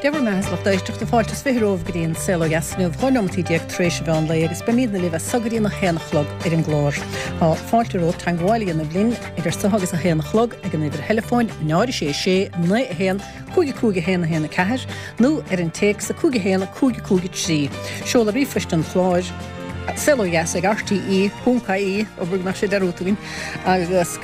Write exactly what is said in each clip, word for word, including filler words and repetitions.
Dé bhur mbeatha, a lucht éisteachta, fáilte is fiche romhaibh go dtí an Saol Ó Dheas inniu, dhá neomat déag tar éis an mheán lae agus beimidne libh as so go dtí an a haon a chlog ar an gclár. Tá fáilte romhat teagmháil a dhéanamh linn idir so agus a haon a chlog ag an uimhir theileafóin náid a sé sé naoi a haon cúig a cúig a haon a haon a ceathair nó ar an téacs a cúig a haon a cúig a cúig a trí. Seoladh ríomhphoist an chláir Saol Ó Dheas ag R T E ponc I E, abair go mbeadh sé dearúdta againn, agus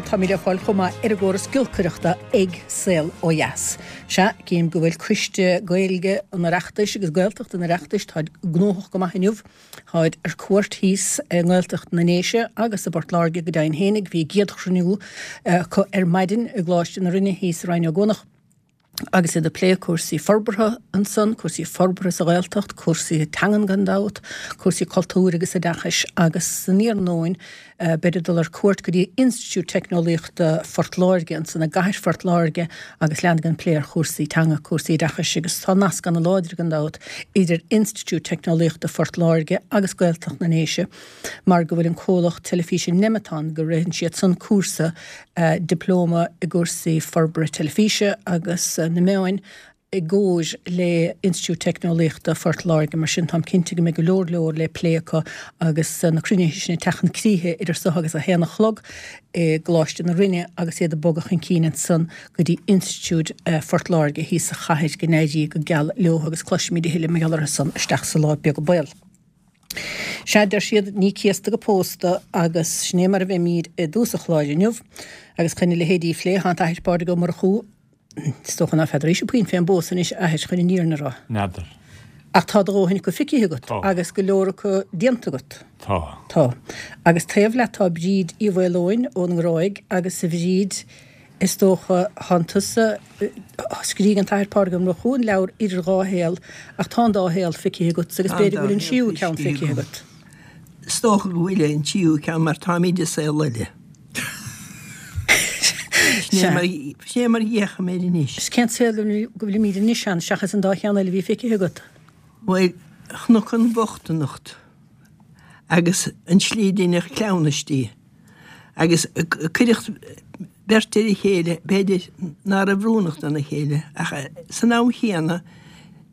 táimid le fáil chomh maith ar an gcóras giolcaireachta ag Saol Ó Dheas. Sea, cím go bhfuil Coiste Gaeilge an Oireachtais agus Gaeltacht an Oireachtais, táid gnóthach go maith inniu. Táid ar cuairt thíos i nGaeltacht na nDéise agus i bPort Láirge go deimhin fhéinig. Bhí a gcéad chruinniú acu ar maidin i gColáiste na Rinne thíos i Rinn Ó gCuanach agus iad ag plé cúrsaí forbartha ansan, cúrsaí forbartha sa Ghaeltacht, cúrsaí teangan gan dabht, cúrsaí cultúir agus oideachais agus san iarnóin beid ag dul ar cuairt go dtí Institiúid Teicneolaíochta Phort Láirge ansan i gcathair Phort Láirge agus leanfaidh an plé ar chúrsaí teanga, cúrsaí oideachais agus tá nasc ana-láidir gan dabht idir Institiúid Teicneolaíochta Phort Láirge agus Gaeltacht na nDéise mar go bhfuil an comhlacht teilifíse Nemeton go ritheann siad san cúrsa dioplóma i gcúrsaí forbartha teilifíse agus na meáin i gcomhar le Institiúid Teicneolaíochta Phort Láirge. Mar sin táim cinnte go mbeidh go leor leor le plé acu agus na cruinnithe sin ag teacht chun críche idir so agus a haon a chlog i gColáiste na Rinne agus iad ag bogadh chun cinn ansan go dtí Institiúid Phort Láirge thíos sa chathair go n-éirí go geal leo agus cloisfimid a thuilleadh mar gheall orthu san isteach sa lá beag baol. Sea, deir siad, ní céasta go pósta agus sin é mar a bheimid i dtús an chláir inniu agus chun a leithéidí a phlé, tá an tAthair Pádraig Ó Murchú, is dócha ná feadaraís puinn fén bpósadh anois, a athair, chun an fhírinne a rá. N'fheadar. Ach tá do dhóthain acu feicthe agat Tá. Agus go leor acu déanta agat. Tá. Tá. Agus taobh leat tá Bríd Uí Mhaoileoin ón nGráig agus a Bhríd, is dócha, thánn tusa, scrígh an tAthair Pádraig Ó Murchú an leabhar Idir Dhá Shaol ach tá an dá shaol feicthe agat agus Tá an b'fhéidir dá go bhfuil an shaol tríú ceann feicthe feicthe agam. agat. Is dócha go bhfuil an tríú ceann mar táimid i saol eile. Sin é mar, sin é mar a fhéachaim air anois. Is cén saol go bhfuilimid anois ann seachas an dá cheann eile a bhí feicthe agat? Bhuel, chonac an bhochtaineacht agus an tslí a deineadh cleamhnais di agus cuireadh beirt ar a chéile, b'fhéidir ná raibh oiriúnach dona chéile, ach san am chéanna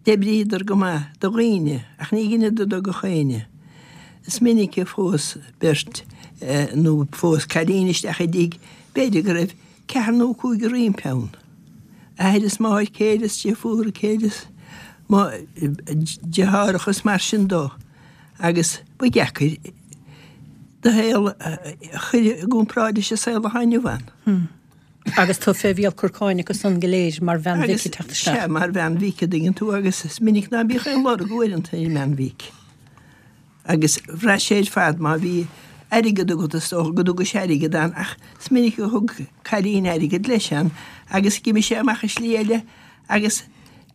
d'oibríodar go maith do dhaoine, ach ní dheineadar do gach éinne. Is minic a phós beirt nó phós cailín isteach i dtigh, b'fhéidir go raibh ceathrar nó cúigear roimpi ann, athair is máthair céile is deirfiúr céile is deartháireacha is mar sin dó, agus ba dheacair do shaol a chur i gcomparáid leis an saol atá inniu ann. Hmm. Agus tú fé mhíol corcáin acu san go léir mar bhean mhic ag teacht isteach. Sea, mar bhean mhic, a dtuigeann tú, agus is minic ná bíodh aon lorg uaireanta ar an mbean mhic. Agus bhraith sé ar fad má bhí airgead agat is dócha go dtugais airgead ann ach is minic a thug cailín airgead leis ann agus d'imigh sé amach i slí eile agus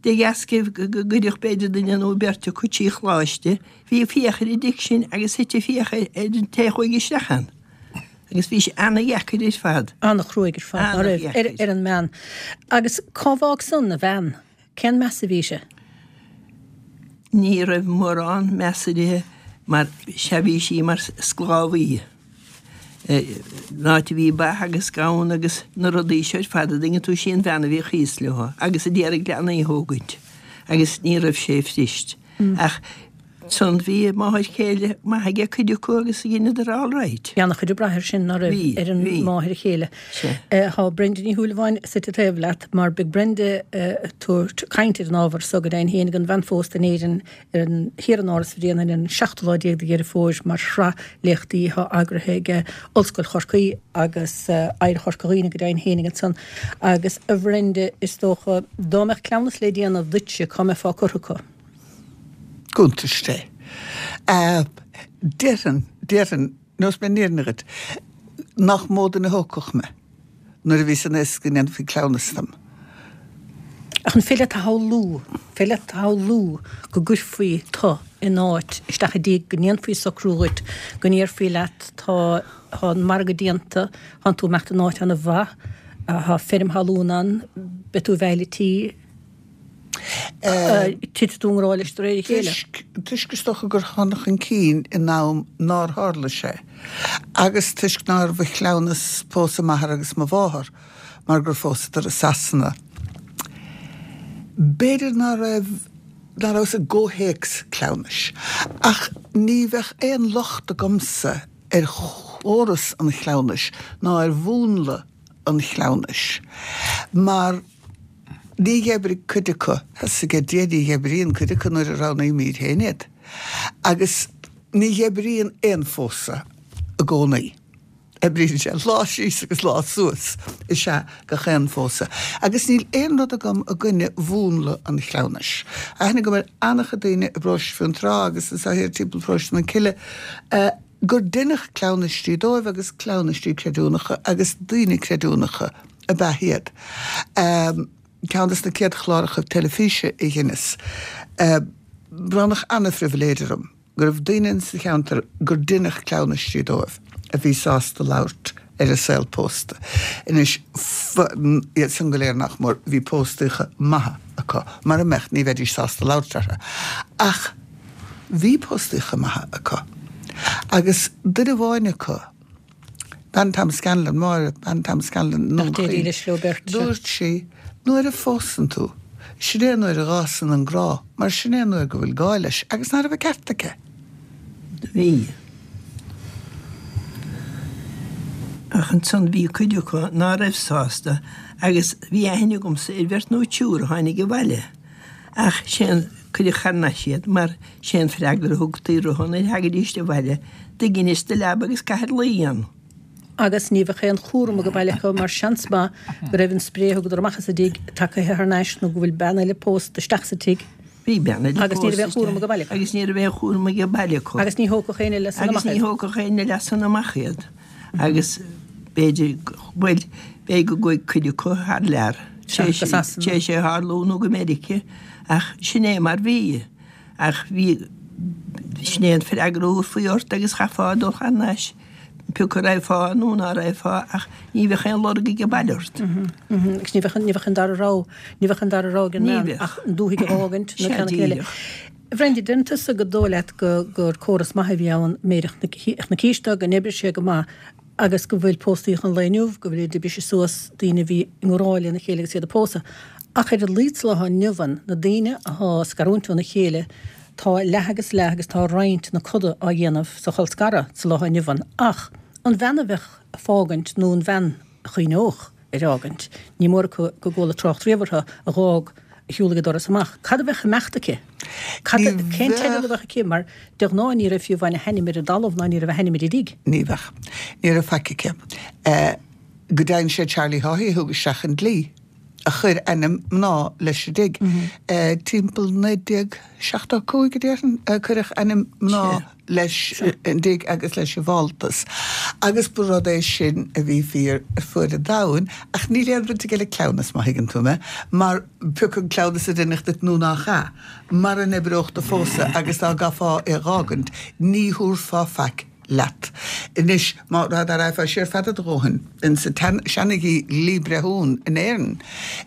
de dheasca go gcuireadh b'fhéidir duine nó beirt acu trí choláiste, bhí fiacha ar an dtigh sin agus thit an fiacha ar an té a chuaigh isteach ann. Agus bhí sé ana-dheacair ar fad. Ana-chruaidh ar fad, ná raibh, ar, ar an mbean. Agus cá bhfág san a bhean? Cén meas a bhí sé? Ní raibh mórán meas uirthi mar sea bhí sí mar sclábhaí. An áit a bhí ba agus gamhain agus na rudaí seo ar fad a dtuigeann tú sí an bhean a bhíodh thíos leo agus a d'iarraidh leanaí a thógaint agus ní raibh sé fuirist. Ach ansan bhí máthair chéile maith aige cuid acu agus dheineadar all right. Bhí an-chuid ag brath air sin, ná raibh, Bhí, ar an bhí. máthair chéile. Sea. Tá Brenda Ní Shúilleabháin suite taobh leat mar beidh Brenda ag tabhairt caint ar an ábhar so go deimhin féin ag an bhean phósta in Éirinn ar an thiar in Áras Bhréanainn ar an seachtú lá déag de Dheireadh Fómhair mar shraith léachtaí atá eagraithe ag Ollscoil Chorcaí agus Oidhreacht Chorca Dhuibhne go deimhin féinig ansan. Agus a Bhrenda, is dócha, dá mbeadh cleamhnas le déanamh duitse, cá mbeifeá curtha acu? Cuntas Dé. Déarfainn, déarfainn, Neosfaidh mé an fhírinne dhuit, nach mó duine a thógfadh mé nuair a bhí san fhios go ndéanfaí cleamhnas dom. Ach an féidir leat a shamhlú, féidir leat a shamhlú go gcuirfí tu in áit isteach i dtigh, go ndéanfaí socrú dhuit, go ndéarfaí leat tá, tá an margadh déanta, tánn tú ag imeacht in áit ana-mhaith, tá feirm thalún ann, beidh tú i bhfeighil an tí, Titfidh tú i ngrá leis de réir a chéile. Toisc, toisc is dócha gur thána chun cinn in am nár tharla sé, agus toisc nárbh chleamhnas pósadh m'athar agus mo mháthar, mar gur phósadar i Sasana. B'fhéidir ná raibh ná raibh sa gcomhthéacs cleamhnais, ach ní bheadh aon locht agamsa ar chóras an chleamhnais ná ar mhúnla an chleamhnais, mar ní dh'oibrigh cuid acu, tá a fhios ag Dia ní dh'oibríonn cuid acu nuair a roghnaímid féin iad, agus ní dh'oibríonn aon phósadh i gcónaí. Oibríonn sé lá síos agus lá suas is ea gach aon phósadh. Agus níl aon rud agam i gcoinne mhúnla an chleamhnais. Aithne agam ar an-chuid daoine i bparóiste Fionntrá agus anseo thiar timpeall paróiste na Cille gur deineadh cleamhnaistí dóibh agus cleamhnaistí creidiúnacha agus daoine creidiúnacha ab ea iad. Ceann des na céad chláracha teilifíse a dheineas, bronnadh an-phribhléid orm go raibh daoine insa cheantar gur deineadh cleamhnaistí dóibh a bhí sásta labhairt ar a saol pósta. Anois, iad san go léir nach mór, bhí póstaíocha maithe acu, mara mbeadh ní bheidís sásta labhairt orthu. Ach bhí póstaíocha maithe acu. Agus duine amháin acu, bean Tom Scanlon, Máire, bean Tom Scanlon, i nDún Chaoin, dúirt sí, nuair a phósann tú, sin é an uair a dh'fhásann an grá, mar sin é an uair go bhfuil gá leis, agus ná raibh an ceart aici? Do bhí. Ach ansan bhí cuid acu ná raibh sásta agus bhí aithne agamsa ar bheirt nó triúr a tháinig abhaile ach sé an, cuireadh thar n-ais iad mar sé an freagra a thugtaí orthu nuair a thagaidíst abhaile, do ghinis do leaba agus caithir luí ann. Agus ní bheadh aon chúram age baile acu mar seans maith go raibh an spré a thugadar amach as an dtigh tagaithe thar n-ais nó go bhfuil bean eile pósta isteach sa tigh. Bhí bean eile Agus ní raibh aon chúram age baile acu. Agus ní raibh aon chúram age baile acu. Agus ní thógfadh éinne leis san amach iad. Agus ní thógfadh éinne leis san amach iad. Agus b'fhéidir, bhuel, b'fhéidir go gcuaigh cuid acu thar lear. Sea, go Sasana. Tar éis é a tharlú nó go Meirice ach sin é mar bhí. Ach bhí, sin é an freagra a thabharfaí ort agus chaithfeá dul thar n-ais, pé acu raghfá nó ná raghfá ach ní bheadh aon lorg age baile ort. Agus ní bheadh, ní bheadh an dara rogha, ní bheadh an dara rogha ag an mbean ach an dúthaigh a dh'fhágaint nó ceann acu eile. A Bhrendi, deireann tusa gur dóigh leat go, gur córas maith a bhí ann, b'fhéidir chonaicis do, go n-oibrigh sé go maith agus go bhfuil póstaíocha an lae inniu, go bhfuil ag briseadh suas daoine a bhí i ngrá lena chéile agus iad ag pósadh. Ach ar a laghad sa lá atá inniu ann, na daoine athá ag scarúint óna chéile, tá leath agus leath agus tá roinnt na coda á dhéanamh sa cholscaradh sa lá atá inniu ann. Ach an bhean a bheadh ag fágaint nó an bhean a chuimhneodh ar fhágaint, ní mór acu go gcuala trácht riamh uirthi, a dh'fhág, a shiúlaigh an doras amach. Cad a bheadh ag imeacht aici? Cad, cén teideal a bheadh aici? Mar de ghnáth ní raibh fiú amháin a hainm ar an dtalamh ná ní raibh a hainm ar an dtigh. Ní bheadh. Ní raibh faic aici. Go deimhin sé Charlie Haughey a thug isteach an dlí a chuir ainm mná leis an dtigh. Timpeall naoi déag seachtó a cúig a déarfainn a cuireadh ainm mná leis an dtigh agus leis an bhfáltas. Agus ba rud é sin a bhí fíor ar fuaid an domhain, ach níl aon bhaint aige le cleamhnas, má thuigeann tú mé, mar pé acu an cleamhnas a deineadh duit nó nach ea, mara n-oibreodh do phósadh agus dá gcaithfeá é dh'fhágaint, ní thabharfá faic leat. Anois, má dá raghfá siar fada do dhóthain insa tseana-dhlí breithiún in Éirinn,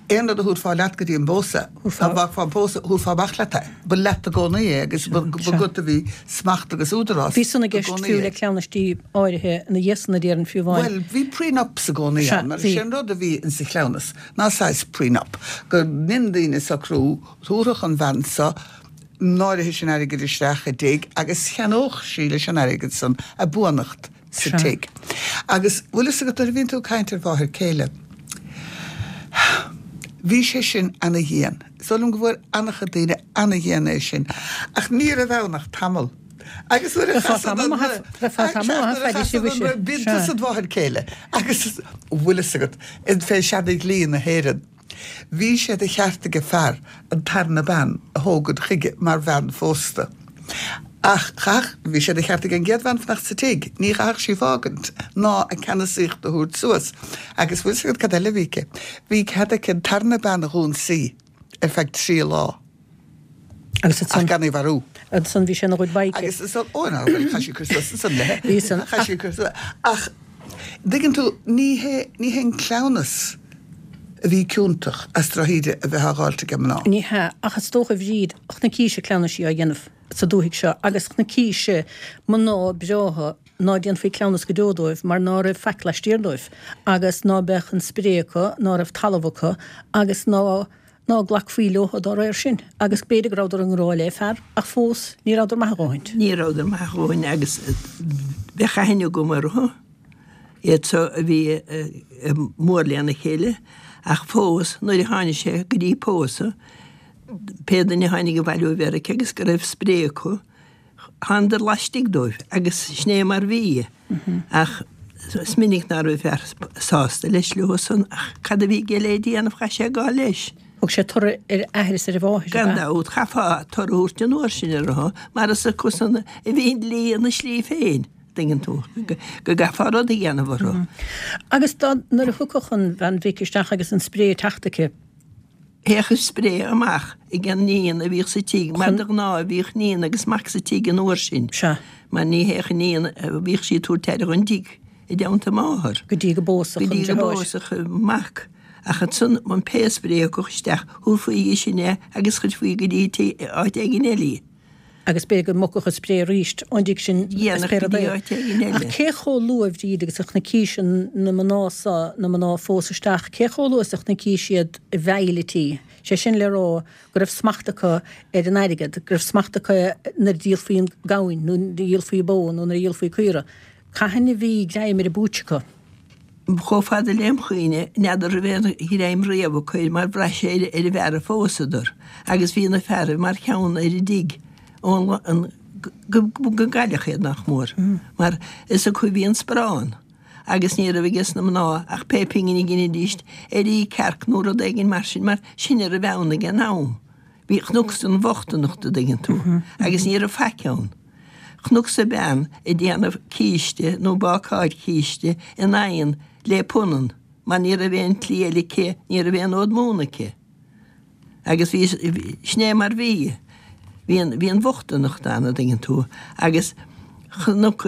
aon rud a thabharfá leat go dtí an bpósadh, dá bhfágfá an pósadh, thabharfá amach leat é. Ba leat i gcónaí é agus ba agat a bhí smacht agus údarás i gcónaí air. Bhí san i gceist fiú le cleamhnaistí áirithe ina dhiaidh san a déarfainn fiú amháin. Bhuel, bhí prenups i gcónaí ann, mar is é an rud a bhí insa chleamhnas ná saghas prenup, go ndein daoine socrú, thabharfadh an bhean so, an áirithe sin airgid isteach i dtigh agus cheannódh sí leis an airgead san a buannacht sa tigh. Agus bhfuil fhios agat nuair a bhíonn tú ag caint ar mháthair céile, bhí sé sin ana-dhian. Is dóigh liom go bhfuair ana-chuid daoine ana-dhian é sin. Ach ní raibh ann ach tamall. Agus nuair a chasann an bíonn tusa id mháthair céile agus bhfuil fhios agat, fé seana-dhlí na hÉireann, Bhí sé de cheart age fear an tarna bean a thógaint chuige mar bhean phósta. Ach chaithfeadh, bhí sé de cheart age an gcéad bhean fanacht sa tigh, ní chaithfeadh sí fágaint ná a ceannasaíocht a thabhairt suas. Agus bhfuil 'fhios agat cad eile a bhí aici? Bhí cead aici an tarna bean a dh'ionsaí ar feadh trí lá. Agus ansan. Ach gan í a mharú. Ansan bhí sé ina ghood bye aici. Agus ansan, ó ná, bhuel, chaith sí cur suas ansan léi. Bhí san. Chaith sí cur suas. Ach, dtuigeann tú, ní hé, ní hé an cleamhnas a bhí ciontach as drochíde a bheith á dháilt age mná. Ní hea, ach is dócha, a Bhríd, chonacís cleamhnaisí á dhéanamh sa dúthaigh seo agus chonacís mná breátha ná déanfaí cleamhnas go deo dóibh mar ná raibh faic laistiar dóibh agus ná beadh an spré acu, ná raibh talamh acu agus ná ná glacfaí leo dá réir sin, agus b'fhéidir go rabhadar i ngrá le fear, ach fós ní rabhadar maith a dhóthaint. Ní rabhadar maith a dhóthain agus bheadh aithne agam orthu, iad so a bhí mór lena chéile, ach fós nuair a tháinig sé go dtí pósadh, pé duine a tháinig abhaile ó Mheiriceá agus go raibh spré acu, thánadar laistigh dóibh agus sin é mar bhí. Ach is minic ná raibh fear sásta leis leo san ach cad a bhí aige le déanamh chaith sé gabháil leis. Thug sé toradh ar a athair is ar a mháthair, ab Gan ea? dabht, chaithfeá toradh a thabhairt an uair sin orthu mar is acusan a bhí an dlí ina slí féin, dtuigeann tú, go gcaithfeá rud a dhéanamh orthu. Agus dá, nuair a thiocfadh an bhean mhic isteach agus an spré ag teacht aici, Théadh an spré amach ag an níon a bhíodh sa tigh, mar de ghnáth bhíodh níon agus mac sa tigh an uair sin. Sea. Mar ní théadh an níon, bhíodh sí ag tabhairt aire dhon dtigh i dteannta máthar. Go dtí go bpósfadh Go an dtí go deartháir. bpósfadh an mac. Ach ansan, an pé spré a thiocfadh isteach, thabharfaí dhi sin é agus chuirfí go dtí áit éigin eile í. Agus b'fhéidir go mbogfadh an spré arís ón dtigh sin is Dhéanach pé go rud dtí é. áit éigin Ach eile. cé chomh luath, a Bhríd, agus a chonacís na mná so, na mná a phós isteach, cé chomh luath is a chonacís iad i bhfeighil an tí? Sé sin le rá go raibh smacht acu ar an airgead, go raibh smacht acu nuair a dhíolfaí an gamhain nó nuair a dhíolfaí bó nó nuair a dhíolfaí caora. Cathain a bhí greim ar an bpúitse acu? Chomh fada lem chuimhne, n'fheadar raibh aon ghreim riamh acu air mar bhraith sé ar an bhfear a phósadar agus bhí na fearaibh mar cheann ar an dtigh ón an go go gcailleadh iad nach mór mar is acu a bhí an sparán agus ní raibh ages na mná ach pé pingin a ghinidíst ar ith cearc nó rud éigin mar sin mar sin a raibh ann ag an am. Bhí chonacsa an bhochtaineacht a dtuigeann tú agus ní raibh faic ann. Chonacsa bean ag déanamh císte nó bácáil císte in oigheann le punann mar ní raibh aon tslí eile aici, ní raibh aon fhód móna aici. Agus bhí, sin é mar bhí. Bhí an, bhí an bhochtaineacht ann, a dtuigeann tú, agus chonac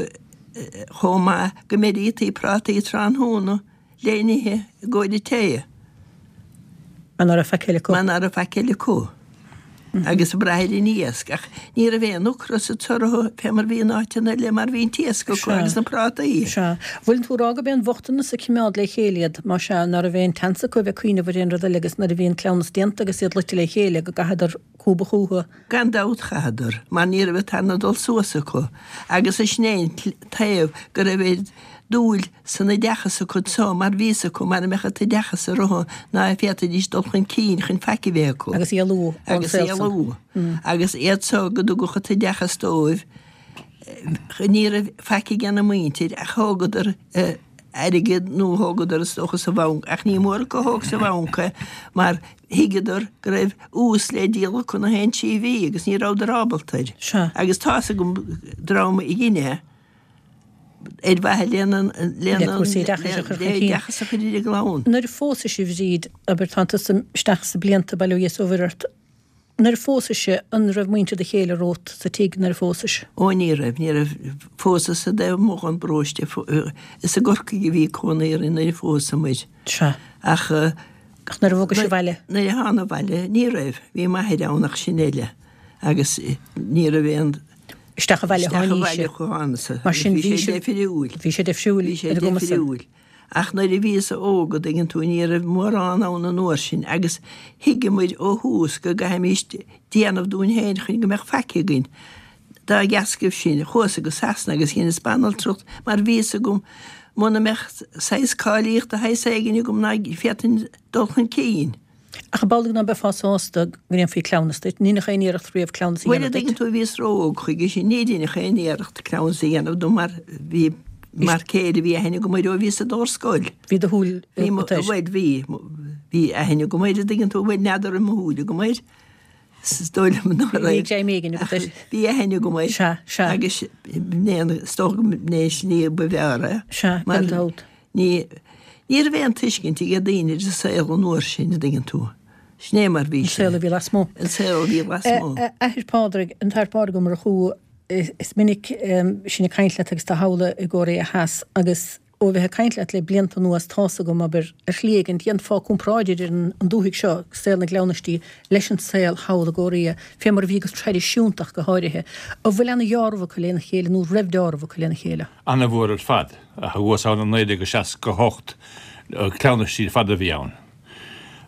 chomh maith go mbeirítaí prátaí tráthnóna le n-ithe i gcomhair an tae. Mar ná raibh faic eile acu. Mar ná raibh faic eile acu. Agus ag brath ar an iasc, ach ní raibh aon ocras ag orthu fé mar bhí in áiteanna eile mar bhí an t-iasc acu agus na prátaí. Sea. Bhfuil tú ag rá gurb é an bhochtanas a choimeád le chéile iad, más ea, ná raibh aon tseans acu a bheith ag cuimhneamh ar aon rud eile agus nuair a bhí an cleamhnas déanta agus iad luite le chéile go gcaitheadar cúbadh chucu? Gan dabht chaitheadar, mar ní raibh an tarna dul suas acu agus sin é an taobh go raibh oiread dúil san oideachas acu so mar bhí fhios acu mara mbeadh an t-oideachas orthu ná féadfaidís dul chun cinn chun faic a bheith acu. Agus éalú ón Agus saol san. éalú. Agus iad so go dtugadh an t-oideachas dóibh ní raibh faic ag na muintir ach thógadar airgead nó thógadar is dócha sa bhanc ach ní mór acu a thóg sa bhanc é mar thuigeadar go raibh ús le díol acu na haon trí mhí agus ní rabhadar ábalta air. Sea. Agus tá's agam dream a dhein é ar mhaithe lena Le cúrsaí oideachais a chur chun cinn. oideachas a chur ar a gclann. Nuair a phósais a Bhríd, abair, tánn tusa isteach sa blianta, bail ó Dhia is ó Mhuire ort, nuair a phósais, an raibh muintir do chéile romhat sa tigh nuair a phósais? Ó ní raibh, ní raibh. Phósas sa dtaobh amuigh den bparóiste, is i gCorcaigh a bhí cónaí orainn nuair a phósamair. Sea. Ach. Ach nuair a bhogais abhaile? Nuair a thána abhaile, ní raibh. Bhí m'athair ann ach sin uile. Agus ní raibh aon. Isteach abhaile a Isteach tháinís-se. abhaile a thánasa. Mar sin Bhí bhí sé sé deifriúil. Bhí sé deifriúil Bhí sé ar an gcuma san. deifriúil. Ach nuair a bhíos óg, a dtuigeann tú, ní raibh mórán ann an uair sin agus thuigeamair ó thús go gcaithfimís déanamh dúinn féin chun go mbeadh faic againn. Dá dheascaibh sin, chuas-sa go Sasana agus dheineas banaltracht mar bhí fhios agam muna mbeadh saghas cáilíocht de shaghas éigin agam ná féadfainn dul chun cinn. Ach ab amhlaidh ná beifeá sásta go ndéanfaí cleamhnas duit? Ní deineadh aon iarracht riamh cleamhnas a Bhuel, a dhéanamh duit? dtuigeann tú, bhíos ró-óg chuige sin. Ní deineadh aon iarracht cleamhnas a dhéanamh dom mar bhí mar céile bhí aithne agam air ó bhíos ag dul ar scoil. Bhí do shúil Bhí mo, agat air. bhuel, bhí, bhí aithne agam air, a dtuigeann tú, bhuel, n'fheadar raibh mo shúil agam air. Is dóigh liom ná Bhí raibh. greim éigin agat Ach air. bhí aithne agam air. Sea, sea. Agus b'in é, is dócha go mb'in é an slí ba bhfearr é. Sea, Mar gan dabht. Ní, ní raibh aon tuiscint ag daoine ar an saol an uair sin, a dtuigeann tú. Sin é mar bhí An sé. saol a bhí lasmuigh. An saol a bhí lasmuigh. A Athair Pádraig, an tAthair Pádraig Ó Murchú, is minic sinn ag caint leat agus tú thall i gCóiré Theas agus ó bheith ag caint leat le blianta anuas tá's agam, abair, ar shlí éigin, dhéanfá comparáid idir an dúthaigh seo, saol na gcleamhnaistí, leis an saol thall i gCóiré, fé mar a bhí go traidisiúnta ach go háirithe. An bhfuil ana-dheáramh acu lena chéile nó raibh deáramh acu lena chéile? Ana-mhór ar fad. Ach thuas ann i naoi déag seasca a hocht, cleamhnaistí ar fad a bhí ann.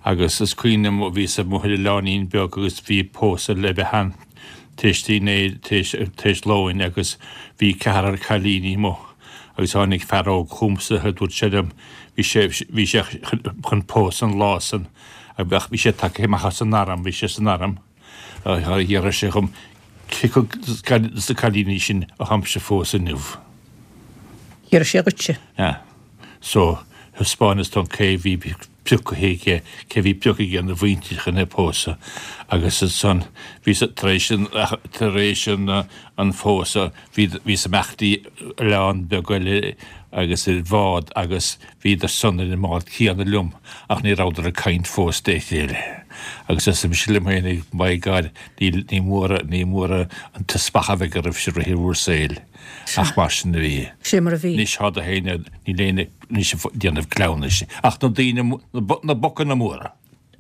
Agus is cuimhin liom bhíos amuigh ar oileáinín beag agus bhí pósadh le bheith ann tar éis dinnéir, tar éis lóin agus bhí ceathrar cailíní amuigh agus tháinig fear óg chugamsa a dúirt sé liom, bhí sé, bhí sé chun pósadh an lá san ach bhí sé tagtha amach as an arm, bhí sé san arm, d'fhiafraigh sé dhom cé acu de na cailíní sin a tháimse a phósadh inniu. D'fhiafraigh sé dhuitse. Yeah. So, thaispeánas dó cé bhí pioctha aige, cé bhí pioctha aige ina mhuintir chun é pósadh agus ansan bhí sa, tar éis an, tar éis an, an phósadh bhí, bhíos amach dtí oileán beag eile agus ar bhád agus bhíodar san ar an mbád céanna liom ach ní rabhadar ag caint fós dé chéile. Agus arsa mise liom féinig, my God, ní, ní mór, ní mór an teaspach a bheidh oraibhse i rith bhur saoil. Ach mar sin a bhí. Sé mar a bhí. Anois tá na héinne, níl éinne anois ag déanamh cleamhnais ach na daoine, na bocanna móra.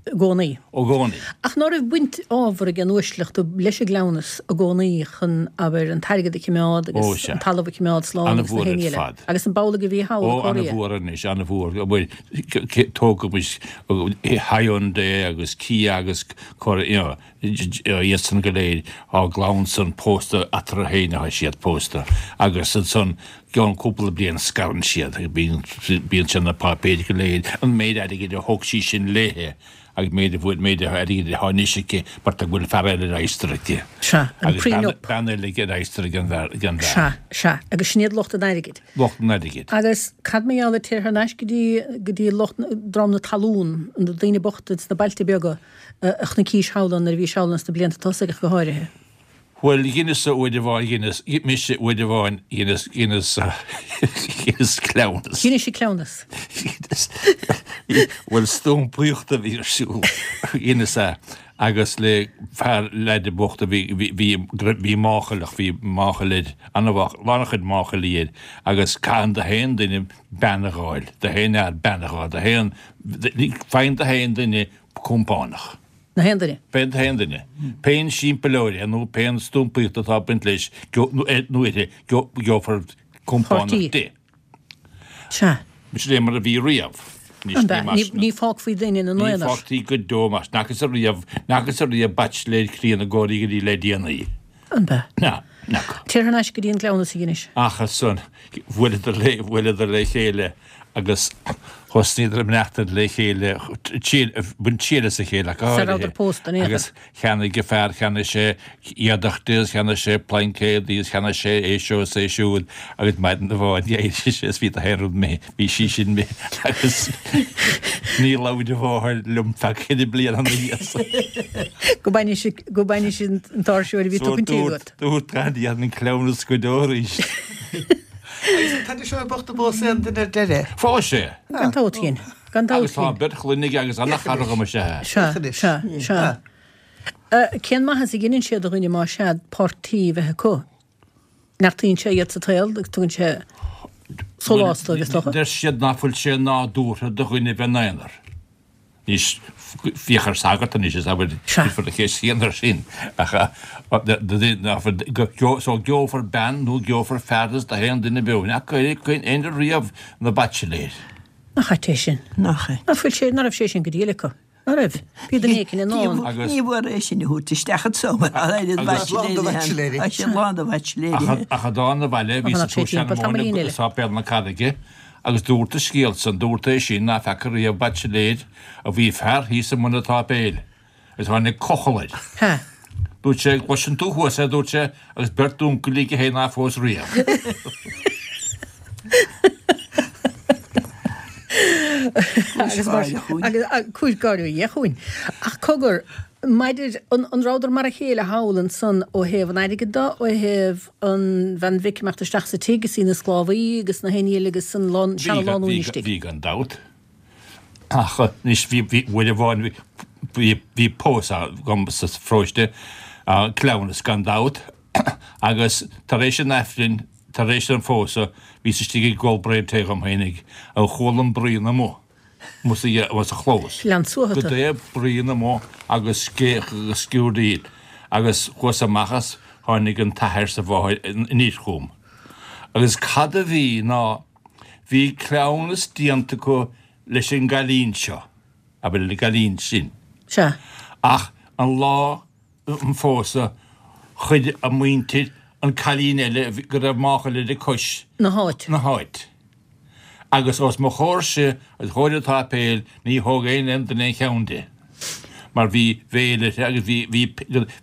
I gcónaí. I gcónaí. Ach ná raibh baint ábhar ag an uaisleacht leis an gcleamhnas i gcónaí chun, abair, an t-airgead a choimeád agus an talamh a choimeád slán agus na héinne eile. Agus an b'amhlaidh a bhí thall i Ó, Korea. an-mhór anois, an-mhór. Bhuel, tógaimis Hyundai agus Kia agus Korea, you know. Iadsan go léir, á gclann san pósta eatarthu féin atá siad pósta agus ansan gceann cúpla bliain scarann siad agus bíonn bíonn sé na páipéir go léir, an méid airgid a thóg sí sin léithe agus méid a bhfuil méid airgid atá anois aici mar tá go bhfuil fear eile ar adhastar aici. Sea, an Agus bean prenup. bean eile ar adhastar ag an bhfear ag an bhfear. Sea, sea, agus sin iad lucht an airgid. Lucht an airgid. Agus cad mar gheall ar téir thar n-ais go dtí go dtí lucht dream na talún, na daoine bochta sna bailte beaga, a chonaicis thall ann nuair a bhís thall ann sna blianta tosaigh ach go háirithe. Bhuel, dheineas-sa uair amháin, dheineas, mise uair amháin, dheineas, dheineas, dheineas cleamhnas. Dheinis sí cleamhnas. Dheineas, bhuel, stúmpaíocht a bhí ar siúl, dheineas é, agus le fear leaide bocht a bhí, bhí, bhí, bhí máchail ach bhí máchail air, an-mhách, lán a chuid máchailí air, agus caitheann do haon duine bean a dh'fháil, do haon fhear bean a dh'fháil, do haon, faigheann do haon duine compánach. Na haon duine. Pén haon duine. Pén simpleoir é nó pén stúmpaíocht atá ag baint leis nó uirthi, gheofar compánach Páirtí. di. Sea. Sin é mar a bhí riamh. An ea? Ní fágfaí duine ina Ní aonar. fágtaí go deo mar n'fhacthas ariamh, n'fhacthas ariamh baitsiléir críonna ag gáirí go dtí le déanaí. An ea? Ná, n'fheaca. Téir thar n-ais go dtí an cleamhnas a Dheinis. Ach ansan, bhuaileadar le, bhuaileadar le chéile agus thosnaíodar ag maireachtaint le chéile, baint triail as a chéile ach go Sara háirithe. rabhadar pósta in aon chor. Agus cheannaigh an fear, cheannaigh sé éadach di is cheannaigh sé plaincéad di is cheannaigh sé é seo is é siúd agus maidin amháin d'éirigh sé is bhí gach aon rud imithe, bhí sí sin imithe agus ní labhair a mháthair liom feadh ceithre bliana ina dhiaidh san. Go mbaineadh sí, go mbaineadh sí an t-áirseoir a bhí So tugtha dúirt, agat. dúirt gan dhéanann cleamhnas go deo arís. Agus an t-ainm seo bocht a phós aon duine ar deireadh. Phós sé. Gan dabht féin. Gan dabht Agus tá féin. beirt chlainne aige agus ana-chara dhom is ea. Sea, sea, sea. Cén maitheas a dheineann sé do dhuine más ea páirtí a bheith acu? Neartaíonn sé iad sa tsaol agus tugann sé sólás dóibh, is dócha. Deir siad nach bhfuil sé nádúrtha do dhuine bheith ina aonar. Anois, féach ar sagart anois is abair cuirfear an cheist chéanna air sin ach so gheofar bean nó gheofar fear do haon duine beo. Nach éinne riamh ina baitsiléir. Nach ait é sin? Nach é. Nach bhfuil sé, ná raibh sé sin go diail acu? Ná raibh? Bhí duine éicint i ndán. Ní mhór é sin a thabhairt isteach anso mar tá oiread baitsiléirí ann. Tá sé lán de bhaitsiléirí. Ach i dtán na bhaile bhí sa sean móin i sáipéal na Carraige Agus dúrt an scéal san, dúrt é sin ná feaca riamh baitsiléir a bhí fear thíos i mbun an tsáipéil agus tháinig cochall air. Ha. Dúirt sé, gcloiseann tú thuas é, dúirt sé, agus beirt uncailí aige féin ná phós riamh. Agus mar agus cúis gáire ó Dhia chugainn. Ach cogar, maidir, an, an rabhadar mar a chéile thall ansan ó thaobh an airgid de, ó thaobh an bhean bhig imeacht isteach sa tigh is í ina sclábhaí agus na héinne eile agus an lán, Bhí, seana lánúin bhí, istigh. bhí gan dabht. Ach anois bhí, bhí, uair amháin bhí, bhí, bhí pósadh agam sa pharóiste, cleamhnas gan dabht, agus tar éis an Aifrinn, tar éis an phósadh, bhíos istigh ag ól braon tae dhom fhéinig, agus chuala an bruíon amuigh. Amuigh sa chlós. Lean suathadh. Goidé bruíon amuigh agus scréach agus sciúrdaíl agus chuas amach as tháinig an t-athair 's a mháthair aniar chugam. Agus cad a bhí ná bhí cleamhnas déanta acu leis an gcailín seo. Abair an gcailín sin. Sea. Ach an lá an phósadh chuir a muintir an cailín eile go raibh máchail uirthi cois. Na háite. Na háite. Agus os mo chomhairse agus chomhair an tsáipéil ní thóg aon aon duine aon cheann di. Mar bhí veil uirthi agus bhí bhí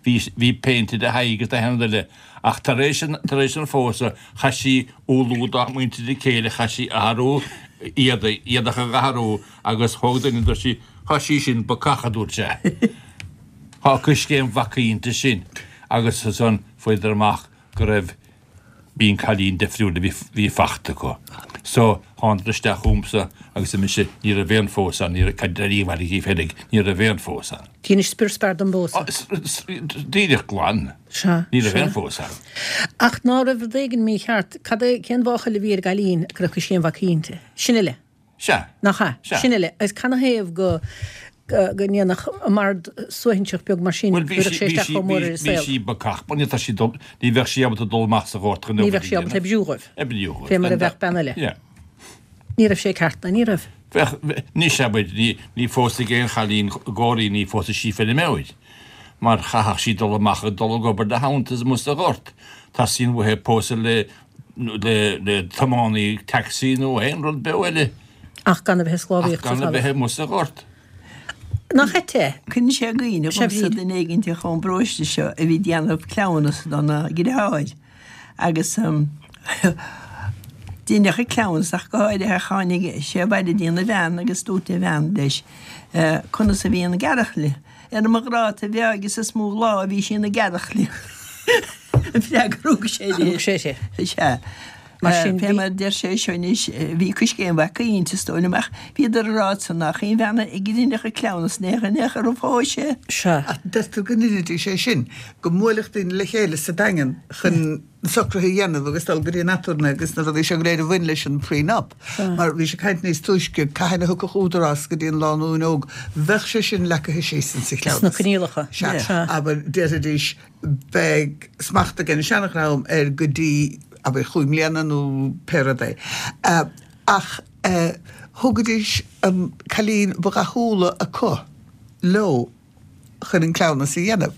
bhí bhí péinte ar a haghaidh agus achan rud eile. Ach tar éis an tar éis an phósadh chaith sí umhlú dá muintir a céile chaith sí athrú éadaigh éadach a athrú agus thóg duine dúirt sí Tá sí sin bacach a dúirt sé. Tá coiscéim bhacaí inti sin agus ansan fuaireadar amach go raibh bhí an cailín difriúil a bhí bhí fachta acu. So thánadar isteach chugamsa agus ar mise ní raibh aon phósadh ann, ní raibh cad ar bhaile dhíobh féinig, ní raibh aon phósadh ann. Dheinis spior spear den bpósadh. Díreach glan. Sea, Ní raibh sea. aon phósadh ann. Ach ná raibh rud éigin mícheart, cad é, cén mháchail a bhí ar an gcailín go raibh coiscéim bhacaí inti? Sin uile. Sea. Nach ea? Sea. Sin uile. Agus canathaobh go go ndéanfadh an mbord suaithinseach beag mar sin, Bhuel, bhí cuirfeadh sí, sé bhí isteach sí, chomh mór bhí, ar an bhí saol. sí bacach. Bhuel, ní tá sí dul, ní bheadh sí ábalta dul amach sa ghort chun Ní obair bheadh a sí ábalta dhéanamh. oibriú dhóibh. Oibriú dhóibh. Fé mar a Gan bheadh dabht. bean eile. Yeah. Ní raibh sé ceart, ná ní raibh. Bheadh, anois abair, ní, ní phósfaidh aon chailín góirí, ní phósfaidh sí feirmeoir. Mar chaithfeadh sí dul amach ag dul ag obair de theannta amuigh sa ghort. Teastaíonn uaithi pósadh le, le, le tiománaí taxi nó aon rud beo eile. Ach gan a bheith ag Ach sclábhaíocht sa gan a talamh. bheith amuigh sa ghort. Nach ait é? Cuireann sé i gcuimhne Sé dhomsa Bhríd. duine éigin ón bparóiste seo a bhí ag déanamh cleamhnas dona dheartháir agus deineadh an cleamhnas ach go háirithe tháinig sé abhaile dtína bhean agus dúirt a bhean leis conas a bhí an gearrchaile. Ar mo ghráta bheo agus is mó lá a bhí sí ina gearrchaile. An freagra a thug sé di. Thug sé di. Sea. Mar sin, Fé bhí. mar a deir sé seo anois, bhí coiscéim bhacaí inti is dóigh liom ach bhíodar ag rá ansan nach aon bhean a dheineadh an cleamhnas in aon chor a phós sé. Sea. Ach deirtear go ndeinidís é sin, go mbuailfeadh daoine le chéile sa Daingean chun na socruithe a dhéanamh agus dul go dtí an aturnae agus na rudaí seo go léir a bhain leis an prenup. Mar bhí sé ag caint níos túisce, cathain a thiocfadh údarás go dtí an lánúin óg, bheadh sé sin leagtha síos insa Sna chleamhnas. coinníollacha. Sea. Sea. Abair, déarfaidís, beidh smacht ag an seanadhream air go dtí, abair, chúig mbliana nó pé rud é. Ach thugaidís an cailín ba dhathúla acu leo chun an cleamhnas a dhéanamh.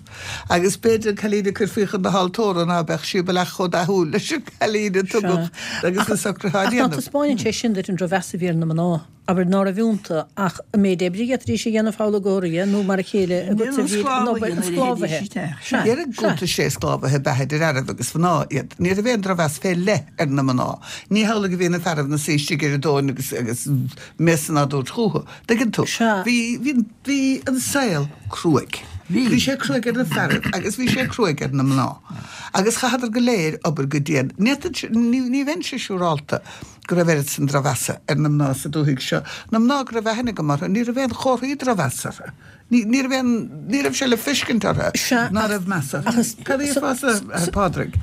Agus b'fhéidir an cailín a cuirfí chun na haltóra ná beadh sí baileach chomh dathúil leis an gcailín a tugadh agus na socruithe á Ach ná ndéanamh. taispeáineann sé sin duit an drochmheas a bhí ar na mná? Abair ná raibh iontu ach an méid oibre a d'fhéadfaidís a dhéanamh thall i gCórea nó mar a chéile agatsa bhí an obair an sclábhaithe. Sea, Déarfainn sea. gcuntas sé sclábhaithe ab ea idir fhearaibh agus mhná iad. Ní raibh aon drochmheas fé leith ar na mná. Ní hamhlaidh a bhí na fearaibh ina suí istigh ar a dtóin agus agus mias á dtabhairt chucu. Tuigeann tú? Sea. Bhí bhí bhí an saol cruaidh. Bhí. Bhí sé cruaidh ar na fearaibh agus bhí sé cruaidh ar na mná. Agus chaitheadar go léir obair go dian. Ní ní ní bheinnse siúrálta go raibh oiread san drochmheasa ar na mná sa dúthaigh seo. Na mná go raibh aithne agam orthu, ní raibh aon chomharthaí drochmheasa orthu. Ní ní raibh aon ní raibh sé le feiscint orthu Sea, ná ach raibh meas ach orthu. is Cad é so fása, so Pádraig?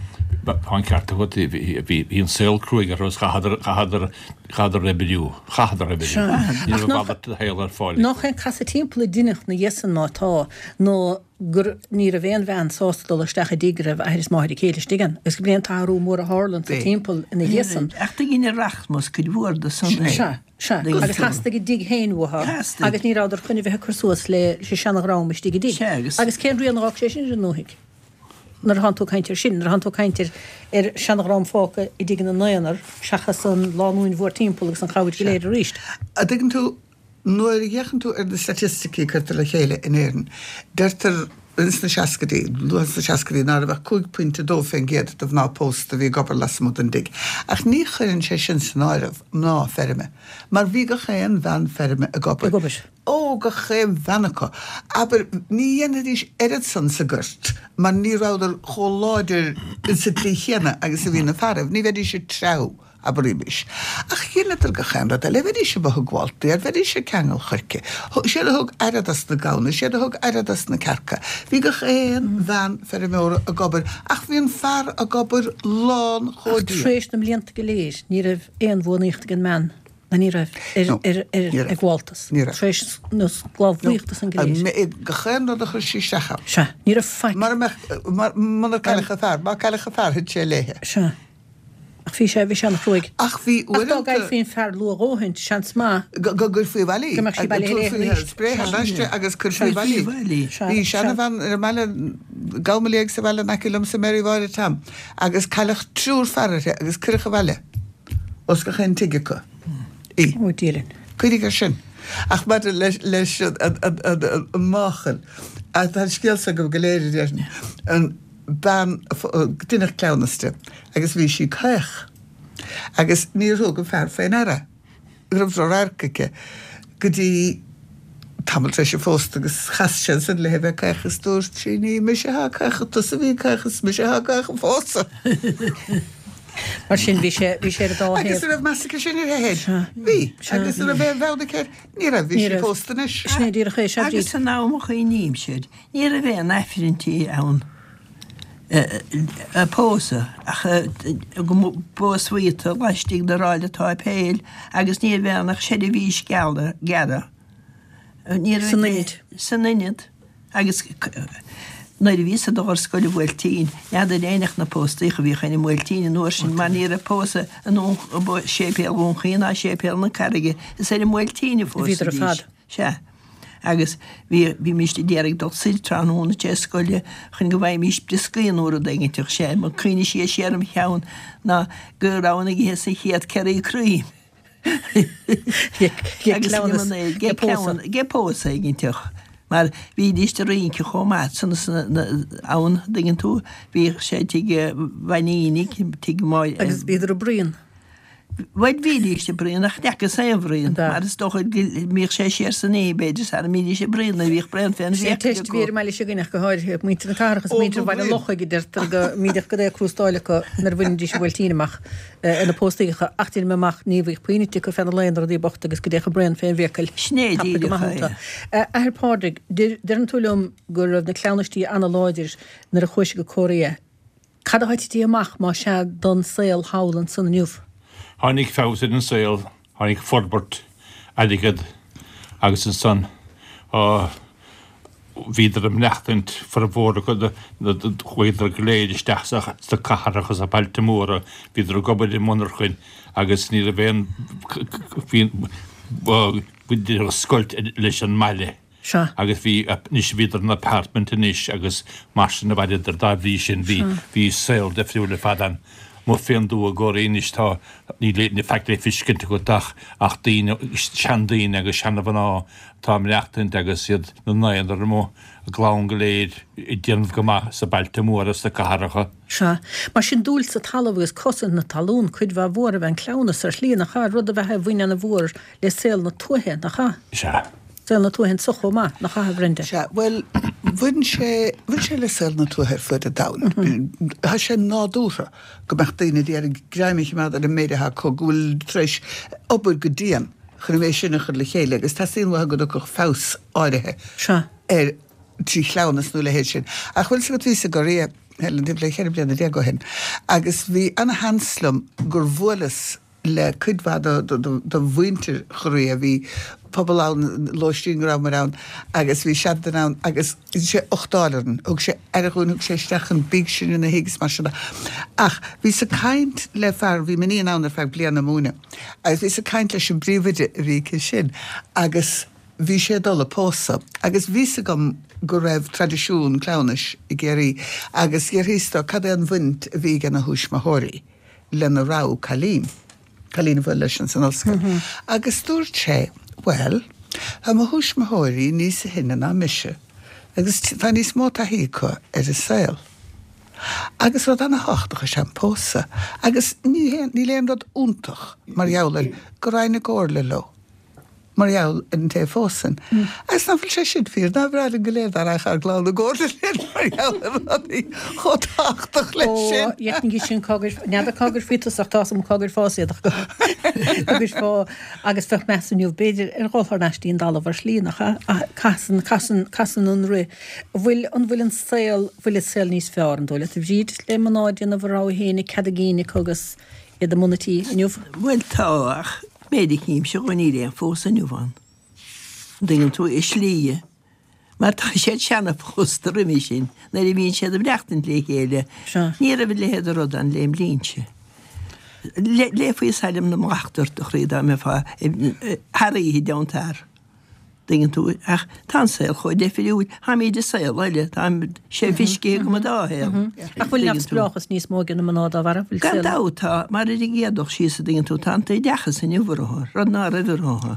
Tá an ceart agat, bhí bhí an saol cruaidh orthu agus chaitheadar chaitheadar chaitheadar oibriú, chaitheadar oibriú. Sea. Ní Ach raibh nach mhalairt de shaol ar fáil. nach é an casadh timpeall a deineadh ina dhiaidh san má tá nó gur ní raibh aon bhean sásta dul isteach i dtigh go raibh athair is máthair a céile istigh ann agus go b'é an t-athrú mór a tharla sa Bhí. timpeall ina dhiaidh san. Ach do dhein an rachmas cuid mhór de san é. Sea, sea. Tuigeann Agus tú. theastaigh a dtigh féin uathu Theastaigh. agus ní rabhadar chun a bheith ag cur suas le leis an seanadhream istigh i dtigh. Sea, agus. Agus cén rian a d'fhág sé sin ar an ndúthaigh? Nuair atánn tú ag caint air sin, nuair atánn tú ag caint ar ar seanadhream fágtha i dtigh ina n-aonar seachas an lánúin mhórtimpeall agus an chabhair go léir arís. A dtuigeann tú, nuair a fhéachann tú ar na staitisticí a cuirtear le chéile in Éirinn, deirtear ins na seascaidí, luath sna seascaidí, ná raibh ach cúig pointe dó fén gcéad de mhná pósta a bhí ag obair lasmuigh den dtigh. Ach ní chuireann sé sin san áireamh mná feirme, mar bhí gach aon bhean feirme ag obair. Ag obair. Ó, gach aon bhean acu. Abair, ní dhéanfaidís oiread san sa ghort, mar ní rabhadar chomh láidir insa tslí chéanna agus a bhí na fearaibh, ní bheidís ag treabhadh, abraimis. Ach dheineadar gach aon rud eile, bheidís amuigh ag gabháil féir, bheidís ag ceangal choirce. Siad a thug aire dos na gamhna, siad a thug aire dos na cearca. Bhí gach aon bhean feirmeora ag obair, ach bhí an fear ag obair lán chomh Ach dian. tar éis na mblianta go léir, ní raibh aon bhuanaíocht ag an mbean. Ná ní raibh ar No, ar ar ní raibh. ag gabháltas. Ní raibh. Tar éis na sclábhaíochta san go léir. Gach aon rud a chuir sí isteach ann. Sea, ní raibh faic. Mar a mbeadh, mar, munar cailleadh a fear, má cailleadh a fear, thit sé léithe. Sea. Ach bhí sé, bhí sé an-chruaidh. Ach bhí Ach dá uaireanta. gcaillfí an fear luath dhóthain, seans maith. Go gcuirfí abhaile í. Go mbeadh sí bailithe léi Tabharfaí arís. spré thar n-ais di agus cuirfí abhaile í. Sea, Bhí sea. seanabhean ar an mbaile, gabh mo léig sa bhaile in aice liomsa, Mary Mháire Tom, agus cailleadh triúr fear uirthi agus cuireadh abhaile os gach aon tigh acu í. Ó, Dia linn. Cuimhnigh air sin. Ach maidir leis leis an an an an máchail, tá an scéal seo agaibh go léir a déarfainn, an bean a deineadh cleamhnas di agus bhí sí caoch agus níor thug an fear fé ndeara go raibh drochradharc aici go dtí tamall tar éis a phósta agus chas sé ansin léi bheith caoch is dúirt sí ní mise atá caoch tusa a bhí caoch is mise atá caoch a phósadh. Mar sin bhí sé bhí sé ar an dá Agus thaobh. an raibh meas aici sin uirthi féin? Sea. Bhí. Sea. Agus an raibh aon bheann aici air? Ní raibh. Bhí Ní sí raibh. pósta anois. Sin é díreach é, sea Agus Bríd. san am a chuimhnímse air, ní raibh aon aifrinntí ann a pósadh ach go bpósfaí tú laistigh de ráille táipéil agus ní raibh ann ach seirbhís gearra. Ní raibh San ionad. San ionad. Agus nuair a bhíos ag dul ar scoil i mBuailtín, n'fheadar éinne ach na póstaíocha a bhíodh ann i mBuailtín an uair sin mar ní raibh pósadh i Séipéal Dhún Chaoin ná Séipéal na Carraige, is ar an mBuailtín a Bhíodar ar phósaidís. fad. Sea. Agus bhí, bhímíst a d'iarraidh dul soir tráthnóna tar éis scoile chun go bhfaighimís brioscaí nó rud éiginteach. Sea, mo cuimhne siar siar im cheann ná go rabhainn ag ithe sa chéad ceraí cream. Agus líomanáid, ge cleamhnas, ge pósadh éiginteach. Mar bhídíst ag rince chomh maith san ann, dtuigeann tú, bhíodh sé tigh Mhainínigh, tigh Máire. Agus bhíodar ag bruíon. Bhuel bhídís ag bruíon ach n'fheacas aon bhruíon, An ea? mar is dócha go mbíodh sé siar san oíche b'fhéidir sara mbídís ag bruíon nuair a bhíodh braon fén Sé an bhfiacail teist a bhí ar an mbaile seo againne ach go háirithe, muintir na cathrach is muintir Bhaile an Lochaigh a deirtear go mbíodh go dté crústáil acu nuair a bhainidís an Bhuailtín amach ar na póstaíocha ach déanaim amach ní bhíodh puinn ite acu feadh na lae na rudaí bochta agus go dtéadh an braon fén bhfiacail Sin é tapaidh go díreach maith é. iontu. Athair Pádraig, deireann tú liom go raibh na cleamhnaistí ana-láidir nuair a chuaigh sibh go Korea. Cad atá tite amach más ea don saol thall ansan inniu? Tháinig feabhas ar an saol, tháinig forbairt, airgead agus ansan bhíodar ag maireachtaint formhór acu, chuadar go léir isteach sna cathracha sna bailte móra, bhíodar ag obair i monarchain agus ní raibh aon, bhí, bhíodar scoilt leis an mbaile. Sea. Agus bhí, anois bhíodar in apartment anois agus mar sin a bhaineadar dá bhrí sin bhí, bhí saol difriúil ar fad ann. Amuigh fén dtuath i gCóiré anois tá, níl le faic le feiscint agat ach, ach daoine, seandaoine agus seanmhná atá ag maireachtaint agus iad ina n-aonar amuigh, a gclann go léir ag déanamh go maith sa bailte móra, sna cathracha. Sea. Mar sin dúil sa talamh agus cosaint na talún cuid mhaith mhór a bheith an cleamhnas ar shlí, nach ea? Rud a bheith a bhain ana-mhór le saol na tuaithe, nach ea? Sea. Saol na tuaithe anso chomh maith, nach ea, a Bhrenda? Sea, bhuel, bhain sé, bhain sé le saol na tuaithe ar fud an domhain. Tá sé nádúrtha go mbeadh daoine ag iarraidh greim a choimeád ar an méid atá acu, go bhfuil tar éis obair go dian chun an méid sin a chur le chéile agus teastaíonn uathu go dtiocfadh feabhas áirithe Sea. air trí chleamhnas nó a leithéid sin. Ach bhfuil 's agat, bhíos i gCorea, Helen, timpeall le ceithre bliana déag ó shin agus bhí ana-sheans liom gur bhuaileas le cuid mhaith de mhuintir Chorea. Bhí pobal ann, lóistín go rabhamar ann agus bhí seanduine ann agus dhein sé uchtáil orainn, thug sé aire dhúinn, thug sé isteach an bídh sinn ina thigh is mar sin de. Ach bhíos ag caint le fear, bhí m'iníon ann ar feadh bliana ag múineadh, agus bhíos ag caint leis an bpríomhoide a bhí aici sin agus bhí sé ag dul a pósadh agus bhí's agam go raibh traidisiún cleamhnais i gCiarraí agus d'fhiafraíos de cad é an bhaint a bhí ag a thuismitheoirí lena rogha cailín, cailín a bhuail leis ins an ollscoil. Agus dúirt sé, bhuel, tá mo thuismitheoirí níos shine ná mise agus tá níos mó taithí acu ar an saol. Agus rud ana-thábhachtach is ea an pósadh agus ní haon, níl aon rud iontach mar gheall air go raghainn i gcomhairle leo. mar gheall ar an té a phósann. Agus ná fuil sé sin fíor? Nár bhreá linn go léir dá raghadh ár gclann i gcomhairle linn mar gheall ar rudaí chomh tábhachtach leis Ó, sin? dheifnigh sin cá gcuir, n'fheadar cá gcuirfí tusa ach tá's agam cá gcuirfeá iad ach go gcuirfeá agus bheadh meas inniu b'fhéidir ar dhul thar n-ais dtí'n dtalamh ar shlí, nach ea? Ach casann, casann, casann an rith. Bhfuil, an bhfuil an saol, bhfuil an saol níos fearr, an dóigh leat, a Bhríd, le mná ag déanamh a rogha féin, cead a gcinn acu agus iad i mbun a tí inniu? Bhuel tá, ach méid a chímse dhó níl aon phósadh inniu ann. An dtuigeann tú, i slí, mar tá siad seana-phósta roimhe sin, nuair a bhíonn siad ag maireachtaint le chéile. Sea. Ní raibh a leithéid de rud ann lem linnse. Léifí Sailm na mBocht ort, a chroí, dá mbeifeá thar oíche down tar. Tuigeann tú, ach tá an saol chomh difriúil, táimid i saol eile, tá sé feiscithe agam an dá shaol. Ach bhfuil neamhspleáchas níos mó ag na mná dá bharr? Gan dabht tá, mar ar an gcéad dul síos a dtuigeann tú, tá an t-oideachas inniu orthu, rud ná raibh orthu.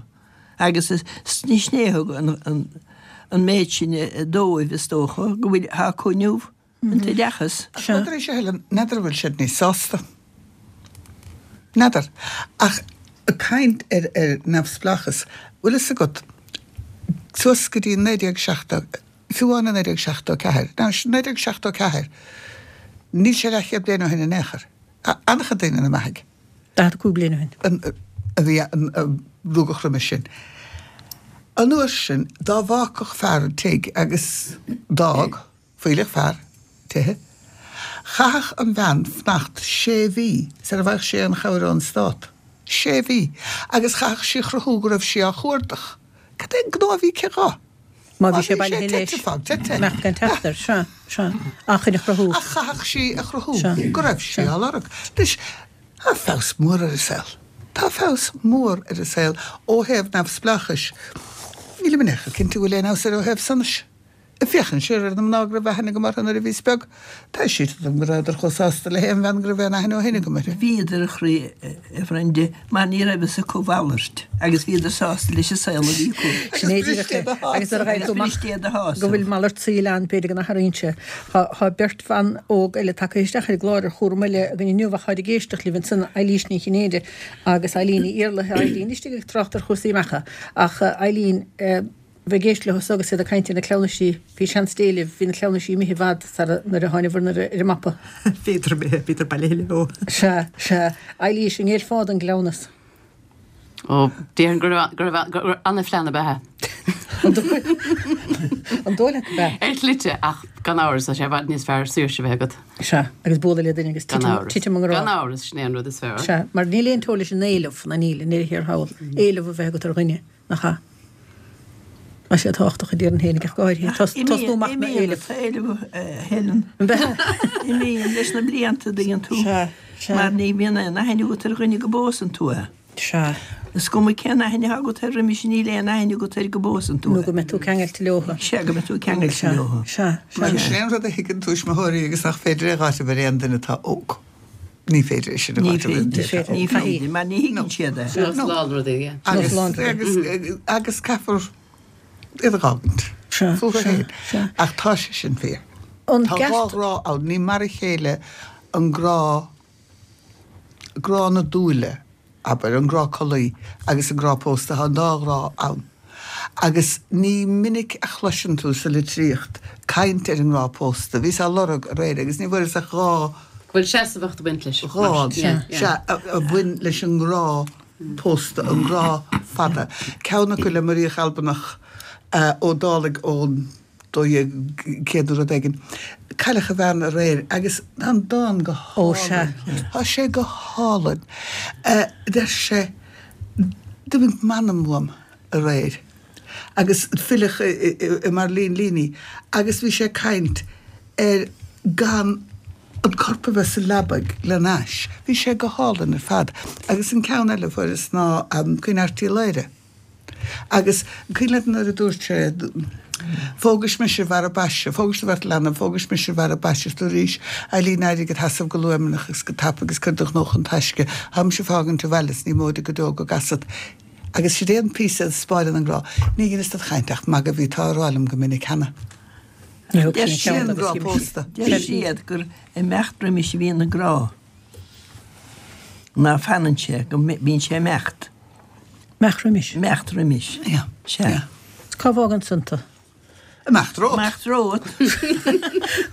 Agus sin é a thug an méid sin dóibh, is dócha, go bhfuil, tá acu inniu. An t-oideachas. Ach rud arís a Helen, n'fheadar an bhfuil siad níos sásta. N'fheadar. Ach ag caint ar ar neamhspleáchas, bhfuil fhios agat, suas go dtí naoi déag seachtó, fiú amháin i naoi déag seachtó ceathair, now naoi déag seachtó ceathair, níl sé leathchéad bliain ó shin in aon chor. Tá an-chuid daoine ina mbeathaidh. Daichead a cúig bliain ó shin. A bhí, a rugadh roimis sin. An uair sin, dá bhfágfadh fear an tigh agus d'fhág, Fuílleach fear tithe. Chaithfeadh an bhean fanacht sé mhí sar a bhfaigheadh sí aon chabhair ón stát. Sé mhí! Agus chaithfeadh sí a chruthú go raibh sí á chuardach. Cad é an gnó a bhí aici dhó? Má bhí sé bailithe leis, imeacht gan teacht air. Sea, sea. Ach chun a chruthú. Ach chaithfeadh sí a chruthú go raibh sí á lorg. Anois, tá feabhas mór ar an saol. Tá feabhas mór ar an saol ó thaobh neamhspleáchais. Nílim in aon chor cinnte go bhfuil aon fheabhas air ó thaobh sonais. Ag féachaint siar ar na mná go raibh aithne agam orthu nuair a bhíos beag, tá sé dom go rabhadar chomh sásta le haon bhean go raibh aon aithne ó shin agam uirthi. Bhíodar, a chroí, a Bhrenda, mar ní raibh fhios acu a mhalairt agus bhíodar sásta leis an saol a bhí acu. Sin é díreach é. Agus nuair a gheibheann tú amach go bhfuil malairt saoil ann, b'fhéidir go n-athraíonn sé. Tá beirt bhan óg eile tagtha isteach ar an gclár ar chúram eile againn inniu ach táid ag éisteacht libh ansan, Eilís Ní Chinnéide agus Eileen Ní Iarlaithe. Eileen istigh ag trácht ar chúrsaí meacha ach Eileen, bheith ag éisteacht leo agus iad ag caint ar na cleamhnaisí, bhí seans Dé libh, bhí na cleamhnaisí imithe i bhfad sara nuair a tháinibhir ar an mapa. Bhíodar imithe, bhíodar bailithe leo. Sea, sea. Eilís, an ngéillfeá don gcleamhnas? Ó, déarfainn go raibh, go raibh, go raibh ana-phlean ab ea é. An dóigh leat ab ea? Ar shlite, ach gan amhras, tá sé i bhfad níos fearr saoirse a bheith agat. Sea, agus bualadh le duine agus Gan titim, amhras. titim i ngrá. Gan amhras, sin é an rud is fearr. Sea, mar níl aon teora leis an éileamh, ná níl, i ndeireadh thiar thall, éileamh a bheith agat ar dhuine. Nach ea? Tá sé tábhachtach a déarfainn féinig ach go háirithe tosnú amach na Imíonn éilimh. an t-éileamh, a Helen. Imíonn leis na blianta, dtuigeann tú. Sea, sea. Mar ní bhíonn aon aithne agat ar dhuine go bpósann tú é. Sea. Is cuma cén aithne atá agat air roimis, níl aon aithne agat air go bpósann tú Nó é. go mbeidh tú ceangailte leo. Sea, go mbeidh tú ceangailte leo. Sea, sea, Mar sea. sin é an rud a thuigeann tuismitheoirí agus nach féidir é a dh'áiteamh ar aon duine atá óg. Ní féidir é sin a Ní dh'áiteamh ar an féidir, té atá ní óg. féidir, mar ní thuigeann siad é. Nós lán rudaí, yeah. Agus, Nós lán rudaí. agus, agus caithfear iad a dh'fhágaint Sea, fúthu sea, féin. sea. Ach tá sé sin fíor. An Tá dhá gceart. ghrá ann, ní mar a chéile an grá, grá na dúile, abair, an grá collaí agus an grá pósta, tá an dá ghrá ann. Agus ní minic a chloiseann tú sa litríocht caint ar an ngrá pósta. Bhíos á lorg aréir agus ní bhfuaireas ach dhá. Go bhfuil seasmhacht ag baint leis. Dhá, sea, a bhain leis an ngrá pósta, an grá fada. Ceann acu le Muiríoch Albanach Ó Dálaigh ón dó dhéag céad nó rud éigin. Cailleadh a bhean aréir agus tá an dán go hálainn. Tá sé go hálainn. Deir sé, D'imigh m'anam uaim aréir. Agus filleadh i Marlene Leaney agus bhí sé ag caint ar gan an corp a bheith sa leabaidh lena ais. Bhí sé go hálainn ar fad. Agus an ceann eile a fuaireas ná Caoineadh Airt Uí Laoghaire. Agus cuimhin leat nuair a dúirt sé, Phógais mise i bhfearadh baise, phógais do bheirt leanbh, phógais mise i bhfearadh baise is tú arís, Eileen, éirigh id sheasamh go luaimneach agus go tapaidh agus cuir do ghnó chun taisce, táimse ag fágaint an bhaile is ní móide go deo go gcasfad. Agus sin é an píosa a spáireann an grá. Ní dheineas dod chaint ach magadh a bhí tú á rá liom go minic cheana. Ní thug Deir sin siad ceann Sin grá agus pósta. Deir siad gur imeacht roimis a bhíonn an grá. Ná fanann sé, go mbíonn sé imeacht. Imeacht roimis. Imeacht roimis. Yeah. Sea. Yeah. Cá bhfágann san tú? Imeacht romhat. Imeacht romhat.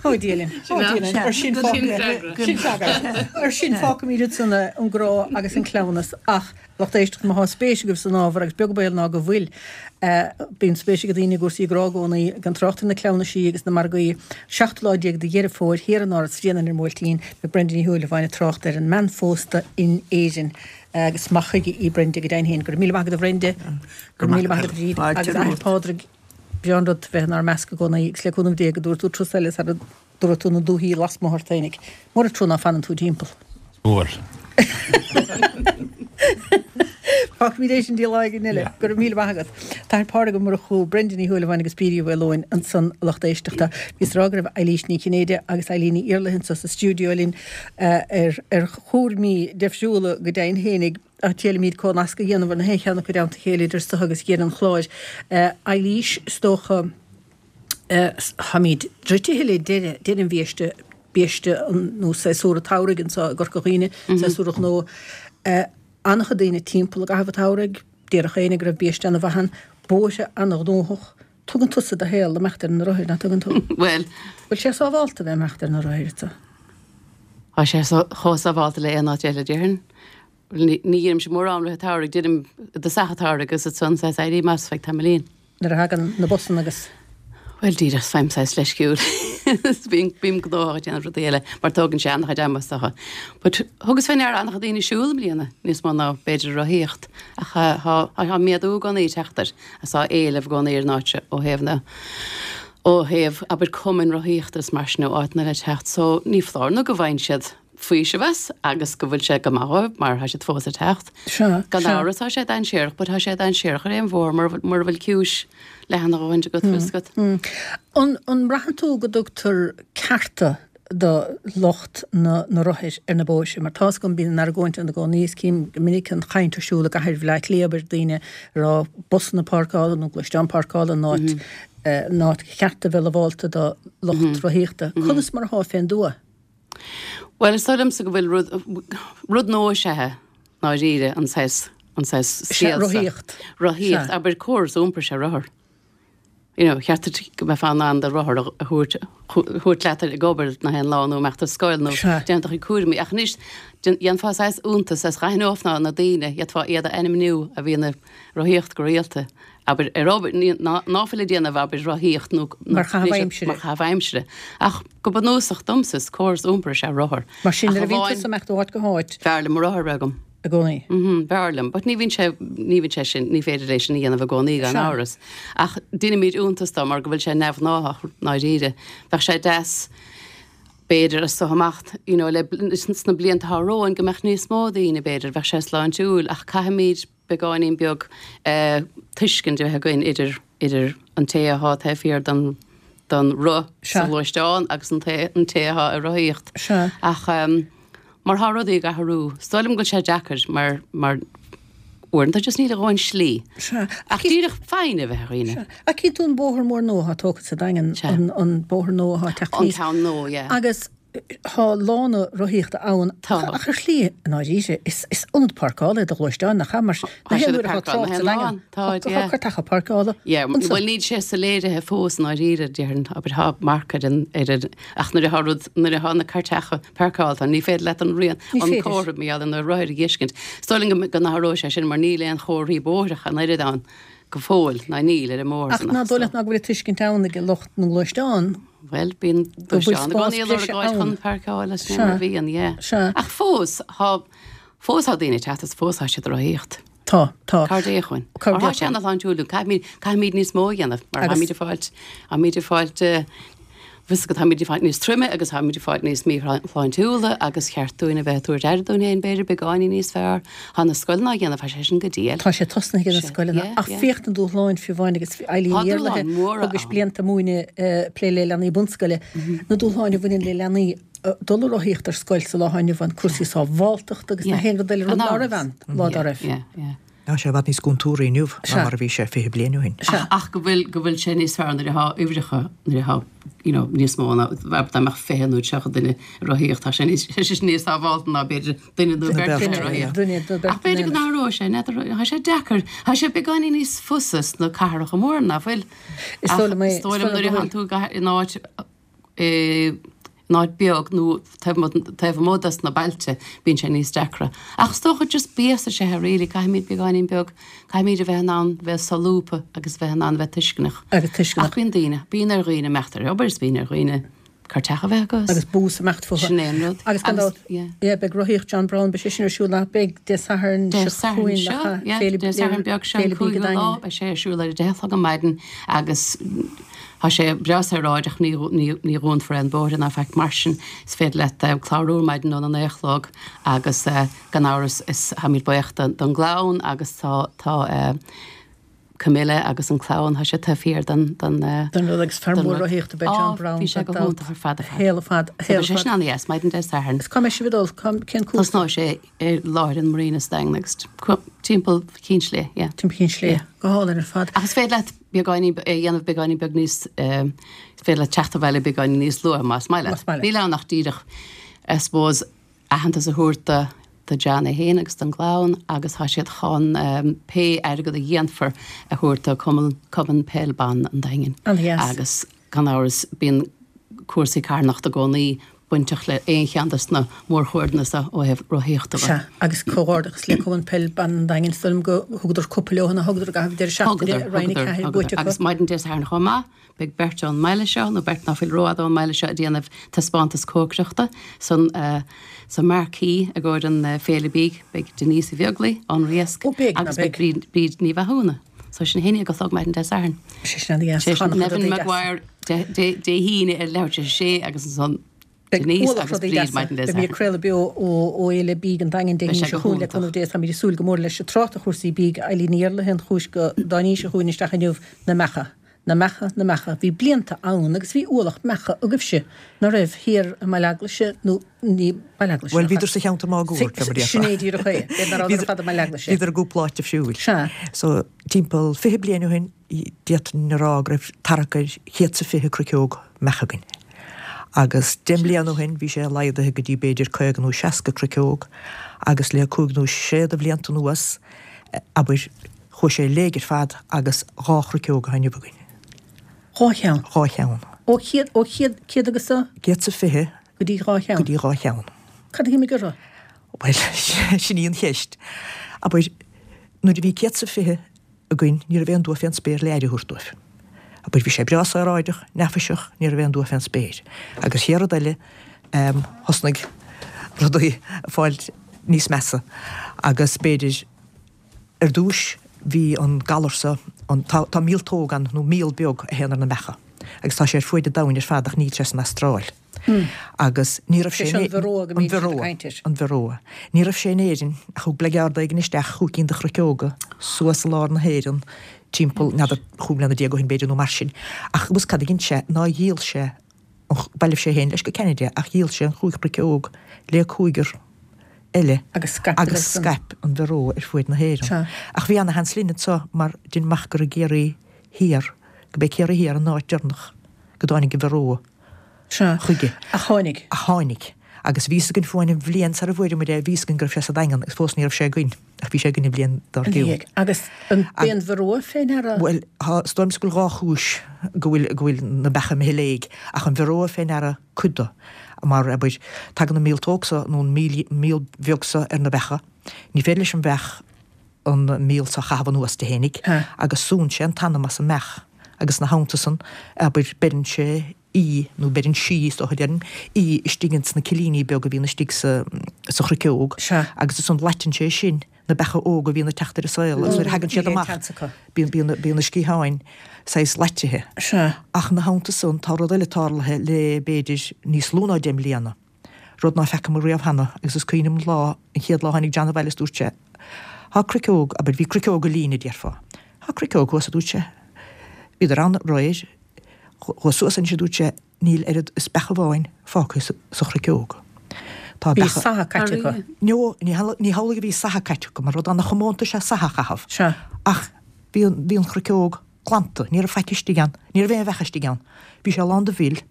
Ó Dia linn. Ó Dia linn. Ar sin Sin fágfaimid. Sin freagra. Ar sin fágfaimid ansan an grá agus an cleamhnas ach lucht éisteachta má thá spéis agaibh san ábhar agus beag baol ná go bhfuil bíonn spéis ag daoine i gcúrsaí grá i gcónaí gan trácht ar na cleamhnaisí agus na margaí. Seachtú lá déag de Dheireadh Fómhair thiar in Áras Bhréanainn ar an mBuailtín beidh Brenda Ní Shúilleabháin ag trácht ar an mbean phósta in Éirinn agus maith chuige í Brenda go deimhin féin. Go raibh míle maith agat a Bhrenda. Go raibh míle maith agat a Bhríd agus a Athair Pádraig. Breá an rud bheith inár measc i gcónaí agus le cúnamh Dé go dtabharfaidh tú turas eile sara dtabharfaidh tú na dúthaí lasmuigh ort féinig. Mór an trua ná fanann tú timpeall. Mór. Fágfaimid é sin go dtí lá éigin eile, go raibh míle maith agat. Tá Pádraig Ó Murchú, Brenda Ní Shúilleabháin agus Bríd Uí Mhaoileoin ansan a lucht éisteachta. Bhíos ag rá go raibh Eilís Ní Chinnéide agus Eileen Ní Iarlaithe anso sa stiúideo linn ar ar chúraimí deifriúla go deimhin fhéinig ach triailfimid comhnasc a dhéanamh ar na haon cheann acu i dteannta a chéile idir so agus dheireadh an chláir. Eilís, is dócha, táimid druidtithe le deireadh deireadh an bhiaiste, biaiste nó séasúr an tsamhraidh anso i gCorca Dhuibhne, séasúr an ghnó. An-chuid daoine timpeall i gcaitheamh an tsamhraidh, déarfadh éinne go raibh biaiste ana-mhaith ann, bóithre ana-ghnóthach. Tugann tusa do shaol le imeacht ar na rothair, nach dtugann tú? Bhuel. Bhfuil sé sábhálta bheith imeacht ar na rothair anso? Tá sé chomh sábhálta le aon áit eile, déarfainn. Ní dhéanaimse mórán i rith an tsamhraidh, déanaim i dtosach an tsamhraidh agus ansan saghas éirím as feadh tamaillín. Nuair a thagann na busanna agus. Bhuel, díreach faighim saghas leisciúil. Bím, bím gnóthach ag déanamh rudaí eile mar tógann sé an-chuid ama is dócha. But thugas fé ndeara an-chuid daoine ag siúl i mbliana, níos mó ná b'fhéidir ag rothaíocht. Ach tá, tá méadú i gcónaí ag teacht air agus tá éileamh i gcónaí ar an áit seo ó thaobh na, ó thaobh, abair, cumainn rothaíochta is mar sin ó áiteanna le teacht. So ní foláir nó go bhfaigheann siad faoiseamh as agus go bhfuil sé go maith dhóibh mar tá siad fós ag teacht. Sea, Gan sea. amhras tá sé dainséarach but tá sé dainséarach ar aon bhóthar mura mura bhfuil ciumhais leathan a dhóthaint agat fios agat. An an mbraitheann tú go dtugtar cearta do lucht na na rothair ar na bóithre? Mar tá's agam bíonn an argóint ann i gcónaí is cím go minic an chaint ar siúl i gcathair Bhaile Átha Cliath abair daoine ag rá busanna páirceála nó gluaisteáin páirceála in áit in áit cheart a bheith lamhálta do lucht rothaíochta. Conas mar atá fén dtuath? Bhuel, is dóigh liomsa go bhfuil rud, rud nua is ea é, ndáiríre, an saghas, an saghas Sea, scéal seo. rothaíocht. Rothaíocht, Sea. abair córas iompair is ea rothar. You know, cheart duit go mbeifeá in ann do rothar a thabhairt, thabhairt leat ag obair na haon lá nó imeacht ar scoil nó Sea. déanamh do chuid cúraimí. Ach anois, dhéanfá saghas iontas as dh'aithneofá na daoine, d'fhéadfá iad a ainmniú a bhíonn ag rothaíocht go rialta. Abair, ar obair, ní, ná, ná fuil ag déanamh, abair, rothaíocht nó, nó Mar chaitheamh aimsire. Mar chaitheamh aimsire. Ach go bunúsach domsa, is córas iompair is ea rothar. Mar sin, Ach nuair a bhíonn amháin, tusa ag imeacht ó áit go háit. B'fhearr liom mo rothar a bheith agam. I gcónaí. Mhm, b'fhearr liom. But ní bhíonn sé, ní bhíonn sé sin, ní féidir é sin a dhéanamh i gcónaí, gan Sea. amhras. Ach deinimid iontas dó mar go bhfuil sé neamhghnáthach, ndáiríre. Bheadh sé deas, b'fhéidir, as so amach, you know, le, sna blianta atá romhainn go mbeadh níos mó daoine, b'fhéidir, bheadh sé sláintiúil, ach caithfimid beagáinín beag tuiscint a bheith againn idir, idir an té athá taobh thiar den, den roth sa Sea. ghluaisteán agus an té, an té athá ag rothaíocht. Sea. Ach mar thá rudaí ag athrú, is dóigh liom go bhfuil sé deacair mar, mar uaireanta just níl a dhóthain slí. Sea. Ach díreach foighne a bheith ar dhaoine. Sea. Ach cíonn tú an bóthar mór nua athá tógtha sa Daingean, Sea. an, an bóthar nua athá ag teacht An aníos. ceann nua, yeah. Agus Tá lána rothaíochta ann Tá. ach ar shlí, i ndáiríre, is is ionad páirceála é do ghluaisteáin, nach ea? Mar Tá na haon siad ag uair atá páirceáil trácht na sa haon Daingean, lá. Tá, tá yeah. cairteacha páirceála Yeah, ansan. bhuel níl sé soiléirithe fós i ndáiríre, déarfainn, abair tá marc ar an, ar an, ach nuair atá rud, nuair atá na cairteacha páirceáilte, ní féidir leat an rian, Ní an féidir. comhartha mar gheall ar na rothair a dh'fheiscint. Is dóigh liom go, go n-athróidh sé sin mar níl aon chomharthaí bóithre ach an oiread ann go fóill, ná níl ar an mbóthar Ach san ná ach dóigh so. leat ná go bhfuil an tuiscint ann ag lucht na ngluaisteán Bhuel, bíonn go bhfuil gluaisteán i spás gcónaí ag lorg breise áit ann. chun páirceáil is Sea. mar a bhíonn, yeah. Sea. Ach fós, thá, fós thá daoine ag teacht is fós thá siad ag rothaíocht. Tá, tá. Cabhair Dé chugainn. Cabhair Mar thá Dé sé chugainn. ana-shláintiúil, caithfimid, caithfimid níos mó a dhéanamh, mar Agus. tháimid ag fáilt, tháimid ag fáilt, eh, Bhfios agat, táimid ag fáilt níos troime agus táimid ag fáilt níos míshláintiúla agus cheart dúinn a bheith ag tabhairt aire dúinn féin, b'fhéidir, beagáinín níos fearr. Tá na scoileanna á dhéanamh, tá sé sin go diail. Tá sé tosnaithe ag na Sé, scoileanna yeah, ach yeah. féach na dúshláin fiú amháin agus Eileen Tá Ní Iarlaithe dúshláin mhóra thugais ann. blianta múineadh plé le leanaí bunscoile, na dúshláin a bhaineann le leanaí dul ag rothaíocht ar scoil sa lá atá inniu ann, cúrsaí sábháltachta agus na Yeah. haon rud eile, rud Gan ná raibh amhras. ann lá dá Yeah, raibh. yeah, yeah. Tá sé i bhfad níos contúirtí inniu ná Sea. mar a bhí sé fiche bliain ó shin. Sea. Ach, ach go bhfuil, go bhfuil sé níos fearr nuair atá uimhreacha, nuair atá, you know, níos mó ná, dá mbeadh fiche nó tríocha duine ag rothaíocht, tá sé níos, tá sé níos sábháilte ná b'fhéidir duine nó Duine beirt beirt, ag rothaíocht. Duine nó beirt Ach b'fhéidir go in aon n-athróidh sé, n'fheadar, tá sé deacair, tá sé beagáinín níos fusa sna cathracha móra ná fuil. Is Ach dóigh liom é, is dóigh liom is dóigh liom nuair a go théann tú go in áit, eh, in áit beag nó taobh amuigh des na bailte, bíonn sé níos deacra. Ach is dócha just béas is ea é really, caithfimid beagáinín beag, caithfimid a bheith in ann bheith solúbtha agus bheith in ann bheith tuisceanach. Agus tuisceanach. Ach bíonn daoine, bíonn ar dhaoine imeacht ar obair is bíonn ar dhaoine Carr teach a bheith acu. Agus bús imeacht fúthu. Sin é an rud. Agus gan dabht, yeah, beidh rothaíocht John Brown, beidh sé sin ar siúl nach beidh Dé Sathairn Dé seo Sathairn chugainn, seo, nach ea? yeah, Féile Dé Sathairn beag seo, an Féile Bídh cúigiú lá, Daingean. beidh sé ar siúl ar a deich a chlog ar maidin agus tá sé breá saoráideach, ní ní ní dhúnfar aon bóithre ná faic mar sin. Is féidir leat clárú ar maidin óna naoi a chlog agus gan amhras is táimid buíoch don gclann agus tá tá Camilla agus an clann, tá sé taobh thiar den den Den rud agus fear mór rothaíochta ab ea John Brown. Bhí sé go hiontach ar fad ar fad. Shaol ar fad, shaol ar fad. Sin an-dheas, maidin Dé Sathairn. Is cá mbeidh sibh ag dul, cén cúrsa? Tosnóidh sé i láthair an Marina sa Daingean agus timpeall Chinn Slighe, yeah. Timpeall Chinn Slighe, go hálainn ar fad. Ach is féidir leat beagáinín, é a dhéanamh beagáinín beag níos, is féidir leat teacht abhaile beagáinín níos luaithe más maith leat. Más maith leat. Níl ann ach díreach, I suppose, aitheantas a thabhairt do do John é féin agus don gclann agus tá siad chun pé airgead a dhéanfar a thabhairt do Cumann Cumann Peil Ban an Daingin. An-dheas. Agus gan amhras bíonn cúrsaí carthanachta i gcónaí bainteach le aon cheann de na mórchuairdeanna seo ó thaobh rothaíochta de. Sea, agus comhghairdeachas le Cumann Peil Ban an Daingin, is dóigh liom go thugadar cupa leo nó thugadar i gcaitheamh deireadh seachtaine Thugadar, i Roinn a thugadar, Ceathair thugadar. buaite acu. Agus maidin Dé Sathairn chomh maith, beidh beirt ón mbaile seo, nó beirt ná fuil rófhada ón mbaile seo, ag déanamh taispeántas cócaireachta san sa marquee i gcomhair an Féile Bídh. Beidh Denise Uí Bheaglaoi ón Riasc Ó, beidh, ná agus beidh beidh. Bríd, Bríd Ní Mhathúna. So sin a haon déag a chlog maidin Dé Sathairn. Sé sin an-dheas. Sé sin Chonacadar Nevin daoine deasa. Maguire Dé, Dé, Dé hAoine ar leathuair tar éis a sé agus ansan Beidh Denise ualach agus rudaí Bríd deasa. maidin Dé Beidh mé ag Sathairn. craoladh beo ó ó Fhéile Bídh an Daingin Dé Beidh hAoine sé seo go chugainn le hiontach. cúnamh Dé. Táimid ag súil go mór leis. Ag trácht ar chúrsaí bídh, Eileen Ní Iarlaithe an chúis go dtáinís seo chugainn isteach inniu, na meacha. Na meacha, na meacha. Bhí blianta ann agus bhí ualach meacha agaibhse ná raibh thiar i mBaile Eaglaise nó ní Baile Eaglaise. Bhuel, bhíodar sa cheantar máguaird, Sin mar a déarfá. sin é díreach é. B'fhéidir ná rabhadar ar fad i mBaile Eaglaise. Bhíodar i gcúpla áit difriúil. Sea. So, timpeall fiche bliain ó shin, d'fhéadfainn a rá go raibh tarrac ar chéad is a fiche cruiceog meach againn. Agus deich mbliana ó shin, bhí sé laghdaithe go dtí b'fhéidir caoga nó seasca cruiceog, agus le cúig nó sé de bhlianta anuas, abair, chuaigh sé i léig ar fad agus dhá chruiceog atá inniu againn. Dhá cheann? Dhá cheann. Ó chéad, ó chéad, céad agus a? Céad is a fiche. Go dtí dhá cheann? Go dtí dhá cheann. Cad a d'imigh orthu? Bhuel, sin í an cheist. Abair, nuair a bhí céad is a fiche againn, ní raibh aon dua fén spéir le aire a thabhairt dóibh. Abair, bhí sé breá saoráideach, neafaiseach, ní raibh aon dua fén spéir. Agus chéad rud eile, thosnaigh rudaí ag fáil níos measa. Agus b'fhéidir, ar dtúis, bhí an galar so, an, tá, tá míoltóg ann, nó míol beag a théann ar na beacha. Agus tá sé ar fuaid an domhain ar fad ach níl sé san Astráil. Agus ní raibh sé Sé in an Varroa go an mbíonn siad ag Varroa, caint air. an Varroa. Ní raibh sé in Éirinn ach thug bleagearda éigin isteach chúig cinn de chruiceoga suas i lár na hÉireann timpeall, n'fheadar, chúig mbliana déag ó shin b'fhéidir nó mar sin. Ach agus cad a dhein sé ná dhíol sé an, bhailigh sé féin leis go Ceanada ach dhíol sé an chúig chruiceog le cúigear eile Agus scaip agus scaip an Varroa ar fuaid na hÉireann. Sea. Ach bhí ana-sheans linn anseo mar dhein amach gur i gCiarraí Thiar, go b'é Ciarraí Thiar an áit deireanach go dtáinig an Varroa Sea. chuige. Ach tháinig. Ach tháinig. Agus bhí fhios againn fiú amháin an bhliain sar a bhfuaireamar é, bhí fhios againn go raibh sé sa Daingean agus fós ní raibh sé againn, ach bhí sé againn an bhliain dár gcionn. Ina dhiaidh. Agus an b'é an Varroa fé ndeara? Bhuel, tá, is dóigh liom go bhfuil dhá chúis go bhfuil, go bhfuil na beacha imithe i léig, ach an Varroa fé ndeara cuid de. Mar, abair, tagann an míoltóg so, nó an míol, míol bheag so ar na beacha, ní féidir leis an bheach an míol so a chaitheamh anuas di fhéinig, agus súnn sé an t-anam as an mbeach, agus ina theannta san, abair, beireann sé í, nó beireann sí, is dócha a déarfainn, í istigh ins na cillíní beaga a bhíonn istigh sa, sa chruiceog, agus ansan laiteann sé sin na beacha óga a bhíonn ag teacht ar an saol, agus nuair a thagann siad amach, bíonn, bíonn, bíonn na sciatháin saghas laitithe. Ach ina theannta san, tá rud eile tarlaithe le, b'fhéidir, níos lú ná deich mbliana, rud ná feacamar riamh cheana, agus is cuimhin liom an lá, an chéad lá a tháinig John abhaile is dúirt sé, Tá cruiceog, abair, bhí cruiceoga lín a déarfá. Tá cruiceog thuas, a dúirt sé. Bhíodar ann aréir, chuas suas anois, a dúirt sé, níl oiread is beach amháin fágtha sa chruiceog. Tá Bhí beacha. saithe caite acu. No, ní hamhlaidh a bhí saithe caite acu, mar rud ana-chomónta is ea saithe a chaitheamh. Sea. Ach bhí an, bhí an chruiceog glanta, ní raibh faic istigh ann, ní raibh aon bheach istigh ann. Bhí sé lán de mhil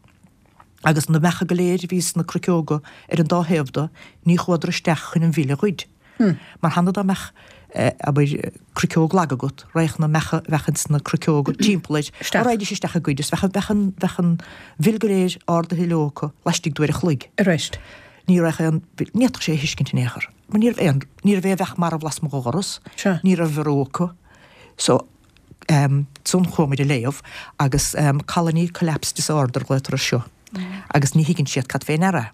agus na beacha go léir a bhí sna cruiceoga ar an dá thaobh de, ní chuadar isteach chun an mhil a ghoid. Mar cheana dá mbeadh, abair, cruiceog lag agat, raghadh na beacha a bheadh ins na cruiceoga timpeall air, raghaidís isteach ag goid is bheadh, bheadh an, bheadh an mhil go léir ardaithe leo acu laistigh d'uair a chloig. Arís. Ní raibh aon, ní fhéadfadh sé a thuiscint in aon chor. Mar ní raibh aon, ní raibh aon bheach marbh lasmuigh dho dhoras, ní raibh varroa acu. So, ansan chuaigh muid ag léamh agus colony collapse disorder a ghlaotar air seo. Agus ní thuigeann siad cad fé ndeara.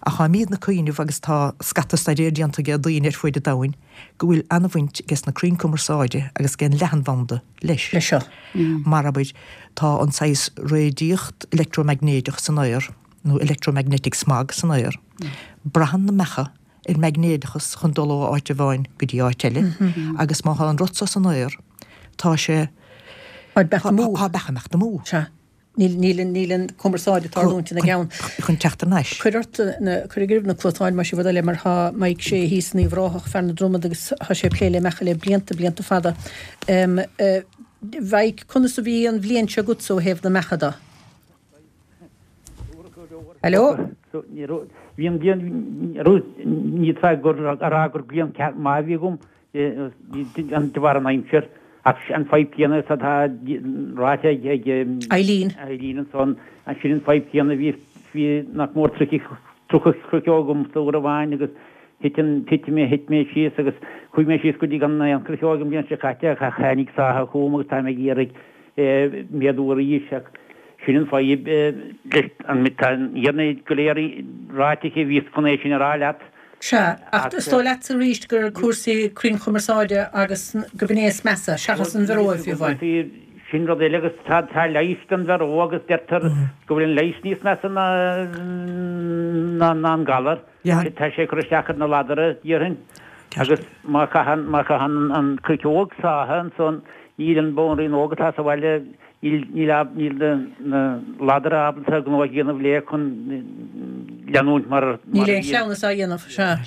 Ach táimidne ag cuimhneamh agus tá scata staidéir déanta ag daoine ar fuaid an domhain go bhfuil an-bhaint aige na crainn cumarsáide agus ag an leathanbhanda leis. Leis seo. Mar abair, tá an saghas réadaíocht leictreamaighnéideach san aer, nó electromagnetic smog san aer. Braitheann na mbeacha ar maighnéadachas chun dul ó áit amháin go dtí áit eile agus má tá an rud seo san aer, tá sé Tá beacha amú. Tá beacha imeacht amú. Sea. Níl, níl, níl an cumarsáid ag tarlúint ina gceann. Chun teacht thar n-ais. Cuir ort na, cuir ag na cluasáin más bhur dtoil é mar tá Mike Shea thíos in Uíbh Ráthach, fear na Dromad agus tá sé ag plé le mbeacha le blianta, blianta fada. Um, uh, Mike, conas a bhí an bhliain seo agatsa ó thaobh na mbeacha de? Hello? Bhí an bhliain, ní fhéadfá a rá gur bliain ceart maith a bhí agam de bharr an aimsir. Ach an fadhb céanna is atá ráite ag Eileen. Eileen ansan, sin an fadhb céanna bhí bhí nach mór tríocha tríocha croiceog agam uair amháin agus thit an thit mé thit mé síos agus chuaigh mé síos go dtí gan aon chroiceog an bhliain seo caite ach tháinig sáitheadh chugam agus táim ag iarraidh méadú arís ach sin an fadhb leis an tá an fhírinne go léir ráite aici bhíos chun é sin a rá leat. Sea, ach is dóigh leatsa arís gur cúrsaí cruinnchumarsáide agus go b'in é is measa, seachas an Varroa fiú amháin. Sin rud eile agus tá tá leigheas don Varroa agus deirtear go bhfuil an leigheas níos measa ná ná ná an galar. Tá sé ag cur isteach ar na ladra, déarfainn. Agus má chaitheann má chaitheann an chroiceog sáithe ansan níl an bhanríon óg atá sa bhaile Níl níl na ladra ábalta gnó a dhéanamh léi chun leanúint mar a Níl aon chleamhnas á dhéanamh, sea.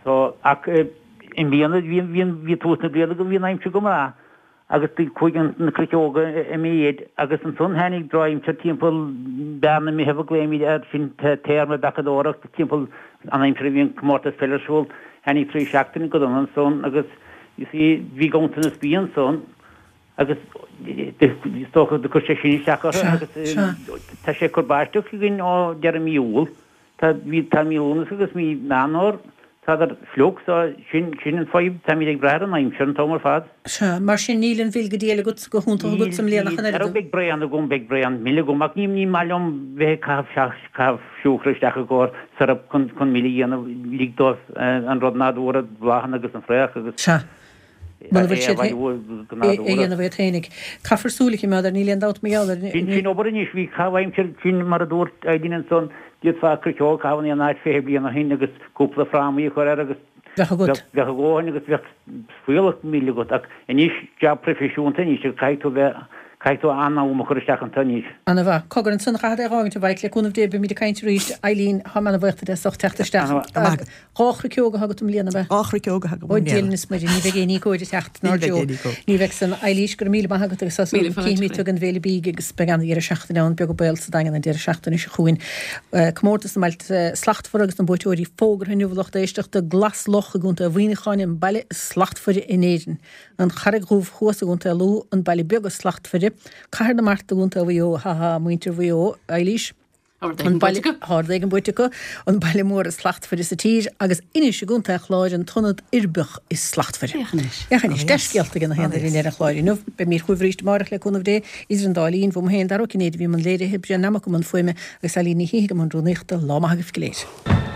So, ach i mbliana bhí bhí bhí tús na bliana go bhí an aimsir go maith agus chuaigh na croiceoga i méid agus ansan tháinig drochaimsir timpeall Bearna Meitheamh a glaoimid air sin téarma beachadóireachta timpeall an aimsir a bhí an comórtas peile ar siúl tháinig trí seachtaine go dona ansan agus you see bhí ganntanas bia ansan Agus is dócha do chuir sé sin isteach orthu agus tá sé ag cur báisteach againn ó deireadh mí Iúil. Tá mí tá mí Lúnasa agus mí Meán Fhómhair, tádar fliuch so sin sin an fadhb, táimid ag brath ar an aimsir an t-am ar fad. Sea, mar sin níl an mhil go diail agat, go hiontach agat i mbliana ach an oiread. Beidh braon agam, beidh braon mil agam ach ní ní maith liom bheith ag caitheamh caitheamh siúcra isteach i gcomhair syrup chun chun mil a dhéanamh, lig dóibh an rud nádúrtha, bláthanna agus an fraoch agus. Sea. Muna bhfuil siad é a dhéanamh iad féinig. Caithfear súil a choimeád air, níl aon dabht mar gheall air. Sin sin obair anois, bhí caitheamh aimsire sin mar a dúirt Eileen ansan, d'fhéadfá croiceog a chaitheamh in aon áit fiche bliain ó shin agus cúpla frámaí a chur air agus Bheadh agat. bheadh a dhóthain agus bheadh fuíollach mil agat ach anois jab proifisiúnta anois agus caithfidh tú bheith, caithfidh tú an-am a chur isteach anso anois. Ana mhaith. Cogar ansan a chaithfead é a dh'fhágaint a Mhaidhc, le cúnamh Dé beimid ag caint arís. Eileen, táim ana bhuíoch duit as ucht teacht isteach. Ana mhaith. Dhá chroiceog atá agat i mbliana, ab ea? Dhá chroiceog atá agam i Ó, mbliana. Dia linn is Muire, ní bheidh éinní cóir ag teacht, Ní nár bheidh Joe. éinní cóir. Ní bheidh san. Eilís, go raibh míle maith agat agus tá súil Míle agam fáilte cífimid tú romhat. ag an bhFéile Bídh agus beidh an-dheireadh seachtaine ann, beag an baol sa Daingean an deireadh seachtaine seo chugainn. Comórtas na mBailte Slachtmhara agus na buaiteoirí fógartha inniu a lucht éisteachta, Glas Loch i gContae Mhuineacháin an baile is slachtmhaire in Éirinn, An Charraig Dhubh thuas i gContae Lú an baile beag is slachtmhaire, Cathair na Mart i gContae Mhaigh Eo, ha ha, muintir Mhaigh Eo, Eilís. An baile, tá rud éigin buaite acu, an baile mór is slachtmhaire sa tír, agus Inis i gContae an Chláir an t-ionad uirbeach is slachtmhaire. Féach anois. Féach anois, dea-scéalta ag na haon duine ar an chlár inniu. Beimid chugaibh arís amárach le cúnamh Dé, idir an dá linn, bhum féin, Dara Ó Cinnéide a bhí i mbun léirithe, Brian Nammock i mbun fuaime agus Eileen Ní Shíthigh i mbun rúnaíochta. Lá maith agaibh go léir.